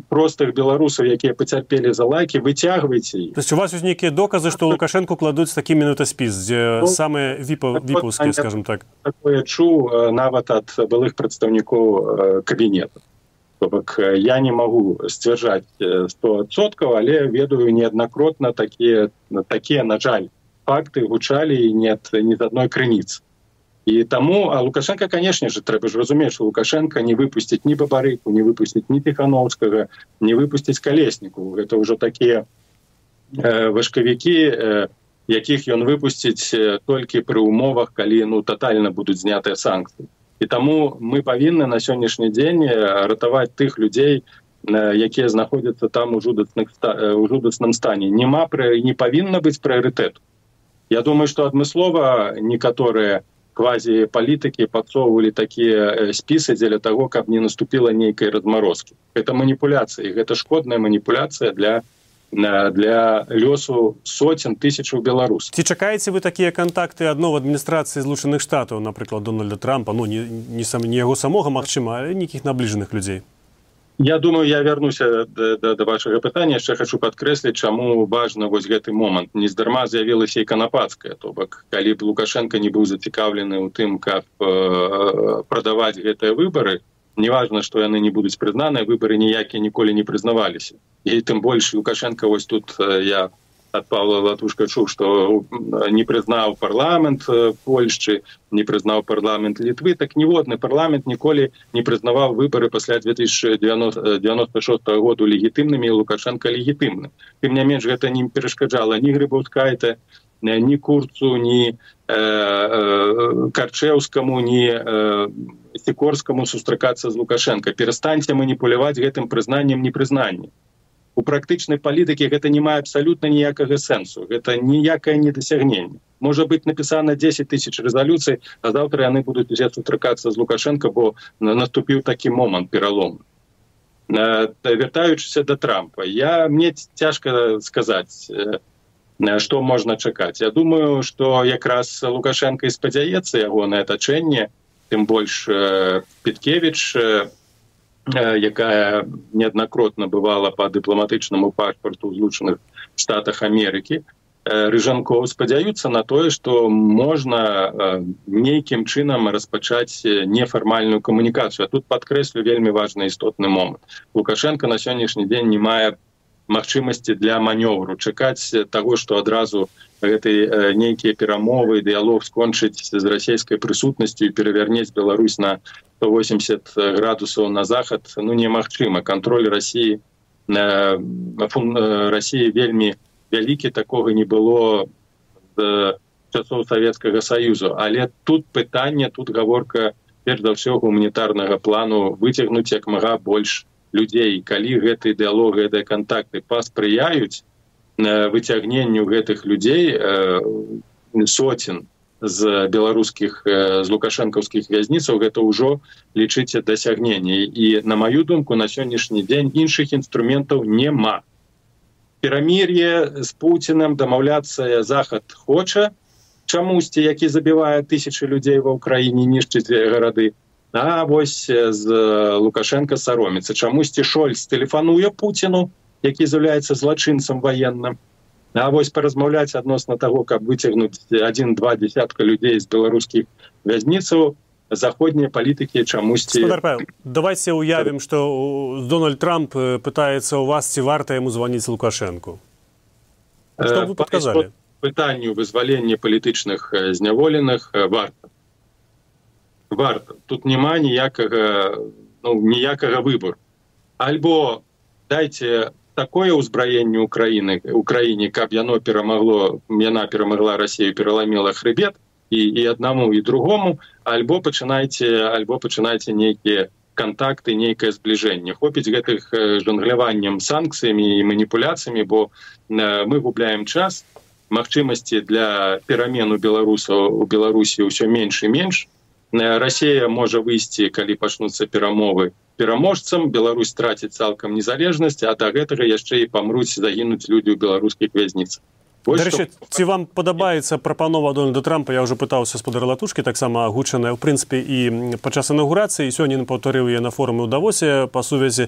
простых беларусаў, якія пацярпелі за лайкі, выцягвайце іх. То есть у вас ёсць нейкія доказы, што Лукашенко кладуць такі менавіта спіс, дзе ну, самыя віпаўскія, скажем так. Такое чуў нават ад былых прадстаўнікоў кабінета. То бок я не магу сцвярджаць сто адсоткаў, але ведаю неаднакротна такія, такія, на жаль, факты гучалі не ад ні з адной крыніцы. І таму, а Лукашенко, конечно же, трэба ж разумець, што Лукашенко не выпусціць ні Бабарыку, не выпусціць ні Ціхановскага, не выпусціць Калесніку. Гэта ўжо такія э, важкавікі, э, якіх ён выпусціць э, толькі пры умовах, калі ну, тотальна будуць знятыя санкцыі. І таму мы павінны на сённяшні дзень ратаваць тых людзей, э, якія знаходзяцца там у жудасных, э, у жудасным стане. Нема, не павінна быць прыярытэту. Я думаю, што адмыслова некаторыя квазі-палітыкі падсоўвалі такія спісы дзеля таго, каб не наступіла нейкай размарозкі. Гэта маніпуляцыя, гэта шкодная маніпуляцыя для, для лёсу соцен тысячаў беларусаў. Ці чакаеце вы такія кантакты адно в адміністрацыі Злучаных Штатаў, напрыклад, Дональда Трампа, ну не, не, сам, не яго самога, магчыма, але нейкіх набліжаных людзей? Я думаю, я вярнуся да, да, да вашага пытання. Яшчэ хочу падкрэсліць, чаму важна вось гэты момант. Нездарма з'явілася і Канапацкая. То бок, калі б Лукашенко не быў зацікаўлены ў тым, каб э, прадаваць гэтыя выбары, неважна, што яны не будуць прызнаныя, выбары ніякія ніколі не прызнаваліся. І тым больш Лукашенко вось тут э, я ад Павла Латушка чуў, што не прызнаў парламент Польшчы, не прызнаў парламент Літвы, так ніводны парламент ніколі не прызнаваў выбары пасля две тысячи девяносто шостого году легітымнымі, і Лукашенко легітымным. Тым не менш, гэта не перашкаджала ні Грыбаўскайте, ні Курцу, ні э, э, Карчэўскаму, ні э, Сікорскаму сустракацца з Лукашенко. Перастаньце маніпуляваць гэтым прызнаннем непрызнаннем. У практычнай палітыкі гэта не мае абсалютна ніякага сэнсу. Гэта ніякае недасягненне. Можа быць напісана дзесяць тысяч рэзалюцый, а заўтра яны будуць узяць сустракацца з Лукашенко, бо наступіў такі момант пералому. Вяртаючыся да Трампа, я, мне цяжка сказаць, што можна чакаць. Я думаю, што якраз Лукашенко і спадзяецца ягонае атачэнне, тым больш Петкевіч, якая неаднакротна бывала па дыпламатычнаму пашпарту ў Злучаных Штатах Амерыкі, Рыжанкоў спадзяюцца на тое, што можна нейкім чынам распачаць нефармальную камунікацыю. А тут падкрэслю вельмі важны істотны момант. Лукашенко на сённяшні дзень не мае магчымасці для манёвру, чакаць таго, што адразу гэты нейкія перамовы, дыялог скончыць з расійскай прысутнасцю і перавярнець Беларусь на сто восемьдесят градусаў на захад, ну немагчыма. Кантроль Расіі, Расіі вельмі вялікі, такога не было з часоў Савецкага Саюзу. Але тут пытанне, тут гаворка перш за ўсё гуманітарнага плану выцягнуць як мага больш людзей. Калі гэты дыялог, гэтыя кантакты паспрыяюць выцягненню гэтых людзей, соцен з беларускіх, з лукашэнкаўскіх вязніцаў, гэта ўжо, лічыце, дасягненне. І, на маю думку, на сённяшні дзень іншых інструментаў нема. Перамір'е з Пуцінам, дамаўляцца Захад хоча, чамусьці, які забівае тысячы людзей ва ўкраіне, нішчыць гарады. А вось з Лукашенко сароміцца. Чамусьці Шольц тэлефануе Пуціну, які з'яўляецца злачынцам ваенным. А вось паразмаўляць адносна таго, каб выцягнуць адзін-два дзясятка людзей з беларускіх вязніцаў, заходнія палітыкі чамусьці... Гаспадар Павел, давайте уявім, што Дональд Трамп пытаецца ў вас, ці варта яму званіць Лукашенку. Што вы падказалі? Пытанню вызвалення палітычных зняволеных варта. Варта. Тут няма ніякага, ну, ніякага выбору. Альбо дайце такое ўзбраенне Украіны, Украіне, каб яно перамагло, яна перамагла Расію, пераламіла хрыбет, і, і аднаму і другому, альбо пачынайце альбо пачынайце нейкія контакты, нейкае збліжэнне. Хопіць гэтых жонгляваннем санкцыямі і маніпуляцыямі, бо мы губляем час, магчымасці для перамену беларусаў у Беларусі ўсё менш і менш. Расія можа выйсці, калі пачнуцца перамовы, пераможцам, Беларусь траціць цалкам незалежнасць, а да гэтага яшчэ і памруць, загінуць людзі ў беларускіх вязніцах. Дарэчы, ці вам падабаецца прапанова Дональда Трампа? Я ўжо пытаўся спадара Латушкі, таксама агучаная, ў прынцыпе, і падчас інаўгурацыі, сёння паўтарыў я на форуме ў Давосе па сувязі,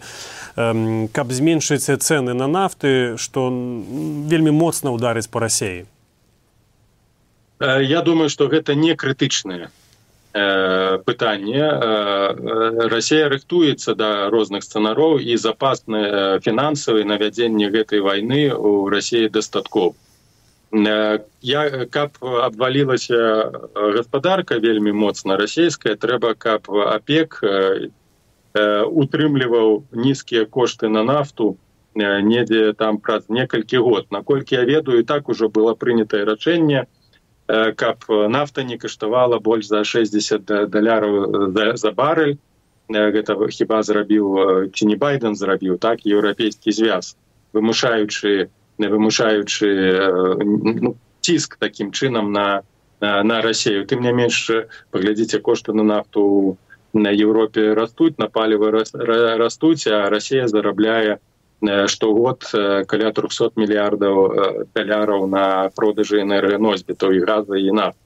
каб зменшыць цэны на нафты, што вельмі моцна ўдарыць па Расіі. Я думаю, што гэта не крытычнае пытанне. Расія рыхтуецца да розных сцэнароў, і запасны фінансавы на вядзенне гэтай вайны ў Расіі дастаткова. Я, каб абвалілася гаспадарка вельмі моцна расійская, трэба, каб ОПЕК утрымліваў нізкія кошты на нафту недзе там праз некалькі год. Наколькі я ведаю, і так ужо было прынятае рашэнне, каб нафта не каштавала больш за шэсцьдзесят даляраў за, за барэль. Гэта хіба зрабіў, ці не Байден зрабіў, так, еўрапейскі звяз, вымушаючы вымушаючы ну, ціск такім чынам на, на, на Расію. Тым не менш, паглядзіце, кошты на нафту на Еўропе растуць, на паліва растуць, а Расія зарабляе штогод каля триста мільярдаў даляраў на продажы энерганосьбітаў і газа і нафты.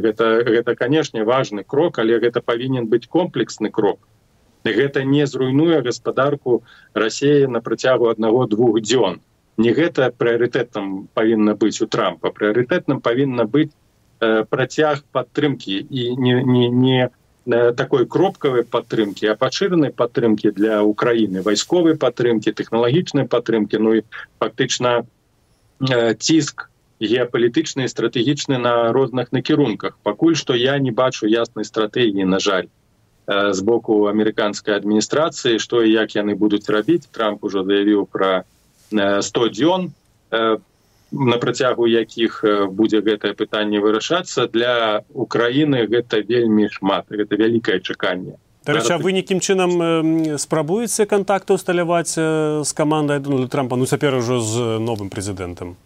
Гэта, гэта, канешне, важны крок, але гэта павінен быць комплексны крок. Гэта не зруйнуе гаспадарку Расіі на працягу аднаго-двух дзён. Не гэта прыярытэтам павінна быць у Трампа. Прыярытэтам павінна быць э, працяг падтрымкі і не, не, не э, такой кропкавай падтрымкі, а пашыранай падтрымкі для Украіны, вайсковай падтрымкі, тэхналагічнай падтрымкі, ну і фактычна э, ціск геапалітычны і стратэгічны на розных накірунках. Пакуль што я не бачу яснай стратэгіі, на жаль, э, з боку амерыканскай адміністрацыі, што і як яны будуць рабіць. Трамп ужо заявіў пра сто дзён, на працягу якіх будзе гэтае пытанне вырашацца. Для Украіны гэта вельмі шмат, гэта вялікае чаканне. Дарэчы, а вы нейкім чынам спрабуеце кантакты ўсталяваць з камандай Дональда Трампа, ну цяпер ужо з новым прэзідэнтам?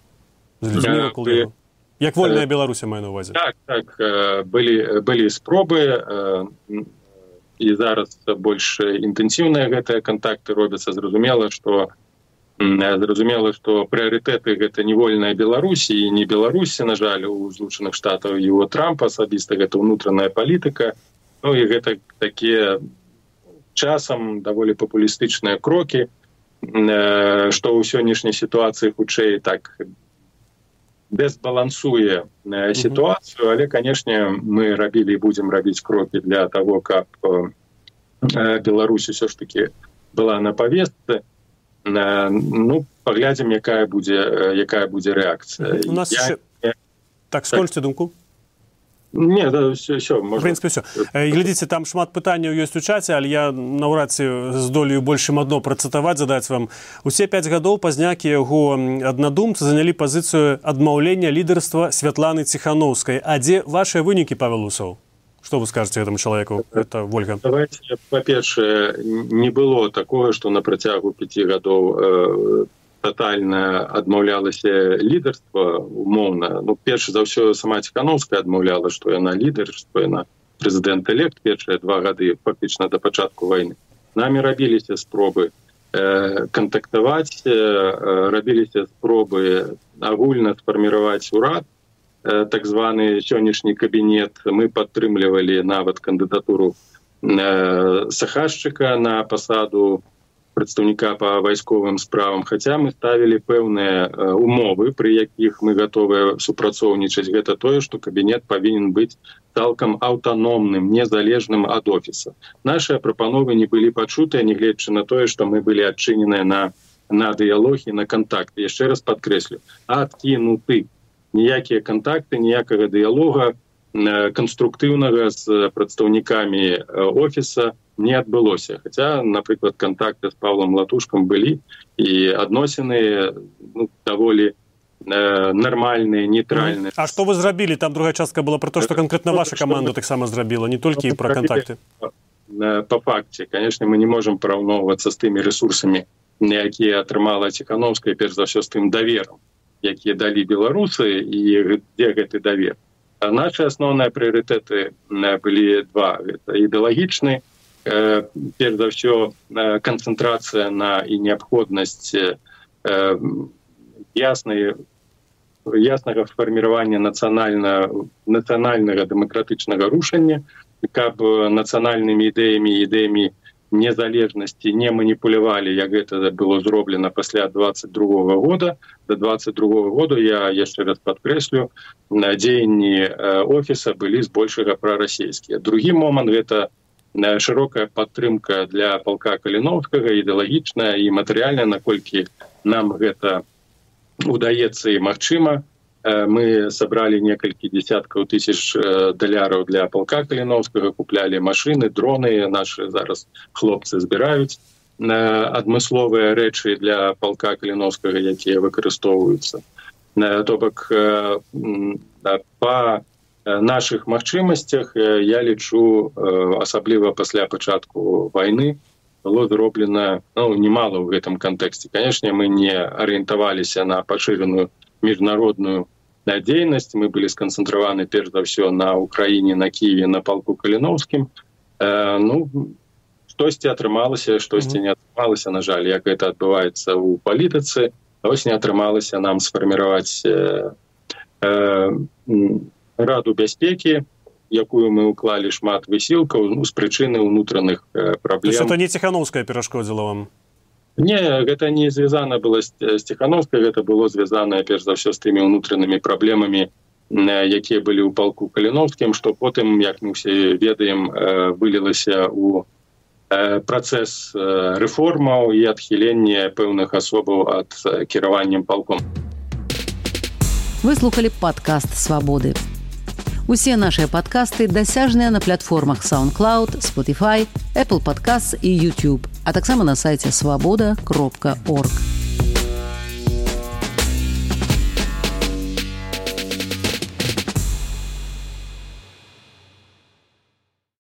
З людзьмі вакол яго? Як вольная Беларусь, маю на ўвазе? Так, так, былі, былі спробы, і зараз больш інтэнсіўныя гэтыя кантакты робяцца. Зразумела, што Зразумела, што прыярытэты гэта не вольная Беларусь і не Беларусі, на жаль, у Злучаных Штатаў і у Трампа асабіста гэта ўнутраная палітыка. Ну і гэта такія часам даволі папулістычныя крокі, што ў сённяшняй сітуацыі хутчэй так дэзбалансуе сітуацыю, але, канешне, мы рабілі і будзем рабіць крокі для таго, каб Беларусь усё ж такі была на павестцы. Ну, паглядзім, якая будзе, якая будзе рэакцыя. У нас я... ще... Так, скончце так. думку. Не, да, все, все, можна. В прынцыпе, все. Глядзіце, там шмат пытанняў ёсць у чаце, але я наўрад ці здолею больш чым адно працытаваць, задаць вам. Усе пяць гадоў пазнякі яго аднадумцы занялі пазіцыю адмаўлення лідарства Святланы Ціханаўскай. А дзе вашыя вынікі, Павел Усоў? Что вы скажете этому человеку? Это Вольга. Давайте, по-перше, не было такого, что на працягу пяти гадоў э, тотально адмаўлялася лідарства умоўна. Ну, перш за ўсё, сама Ціханаўская адмаўляла, што яна лідар, што яна прэзідэнт-элект першыя два гады, фактычна да пачатку вайны. Намі рабіліся спробы э, кантактаваць, э, рабіліся спробы агульна сфарміраваць урад, так званы сённяшні кабінет. Мы падтрымлівалі нават кандыдатуру Сахашчыка на пасаду прадстаўніка па вайсковым справам, хаця мы ставілі пэўныя умовы, пры якіх мы гатовыя супрацоўнічаць. Гэта тое, што кабінет павінен быць цалкам аўтаномным, незалежным ад офіса. Нашыя прапановы не былі пачутыя, нягледзячы на тое, што мы былі адчыненыя на, на дыялог і на кантакт. Яшчэ раз падкрэслю, адкінуты. Ніякія кантакты, ніякага дыялога канструктыўнага з прадстаўнікамі офіса не адбылося. Хаця, напрыклад, кантакты з Павлам Латушкам былі, і адносіны ну, даволі нармальныя, нейтральныя. А што вы зрабілі? Там другая частка была пра то, што канкрэтна ваша каманда таксама зрабіла, не толькі і пра кантакты. По факце, конечно, мы не можем параўноўвацца з тымі ресурсамі, якія атрымала Ціхановская, перш за ўсё з тым даверам, якія далі беларусы, і дзе гэты давер. А наши асноўныя прыярытэты былі два. Гэта ідэалагічны, перш за ўсё канцэнтрацыя на і неабходнасць яснай яснага фарміравання нацыянальнага нацыянальнага дэмакратычнага рушання, каб нацыянальнымі ідэямі ідэямі незалежнасці не маніпулявалі, як гэта было зроблена пасля двадцать другого года. До двадцать другого года, я яшчэ раз падкрэслю, дзеянні офіса былі збольшага прарасійскія. Другі момант — гэта шырокая падтрымка для палка Каліноўскага, ідэалагічная і матэрыяльная, наколькі нам гэта удаецца і магчыма. Мы сабралі некалькі десяткаў тысяч даляраў для палка Каліноўскага, куплялі машыны, дроны, наши зараз хлопцы збіраюць адмысловыя рэчы для палка Каліноўскага, якія выкарыстоўваюцца. То бок, па наших магчымасцях, я лічу, асабліва пасля пачатку вайны, было зроблена, ну, немало в гэтым кантэксце. Конечно, мы не арыентаваліся на пашыраную міжнародную дзейнасць, мы былі сканцэнтраваны перш за ўсё на Украіне, на Киеве, на палку Каліноўскім. Э, ну, штосьці атрымалася, штосьці не атрымалася, на жаль, як гэта адбываецца ў палітыцы. Ось не атрымалася нам сфарміраваць э, э, Раду бяспекі, якую мы уклалі шмат высілкаў, ну, з прычыны ўнутраных э, праблем. То есть это не Ціхановская перашкодзіла вам? Не, гэта не звязана было з Ціхановскай, гэта было звязана, перш за ўсё, з тымі ўнутранымі праблемамі, якія былі ў палку Каліноўскім, што потым, як мы ўсе ведаем, вылілася ў працэс рэформаў і адхілення пэўных асобаў ад кіраваннем палком. Вы слухалі падкаст «Свабоды». Усе нашыя падкасты дасяжныя на платформах SoundCloud, Spotify, Apple Podcasts і YouTube, а таксама на сайце свабода кропка орг.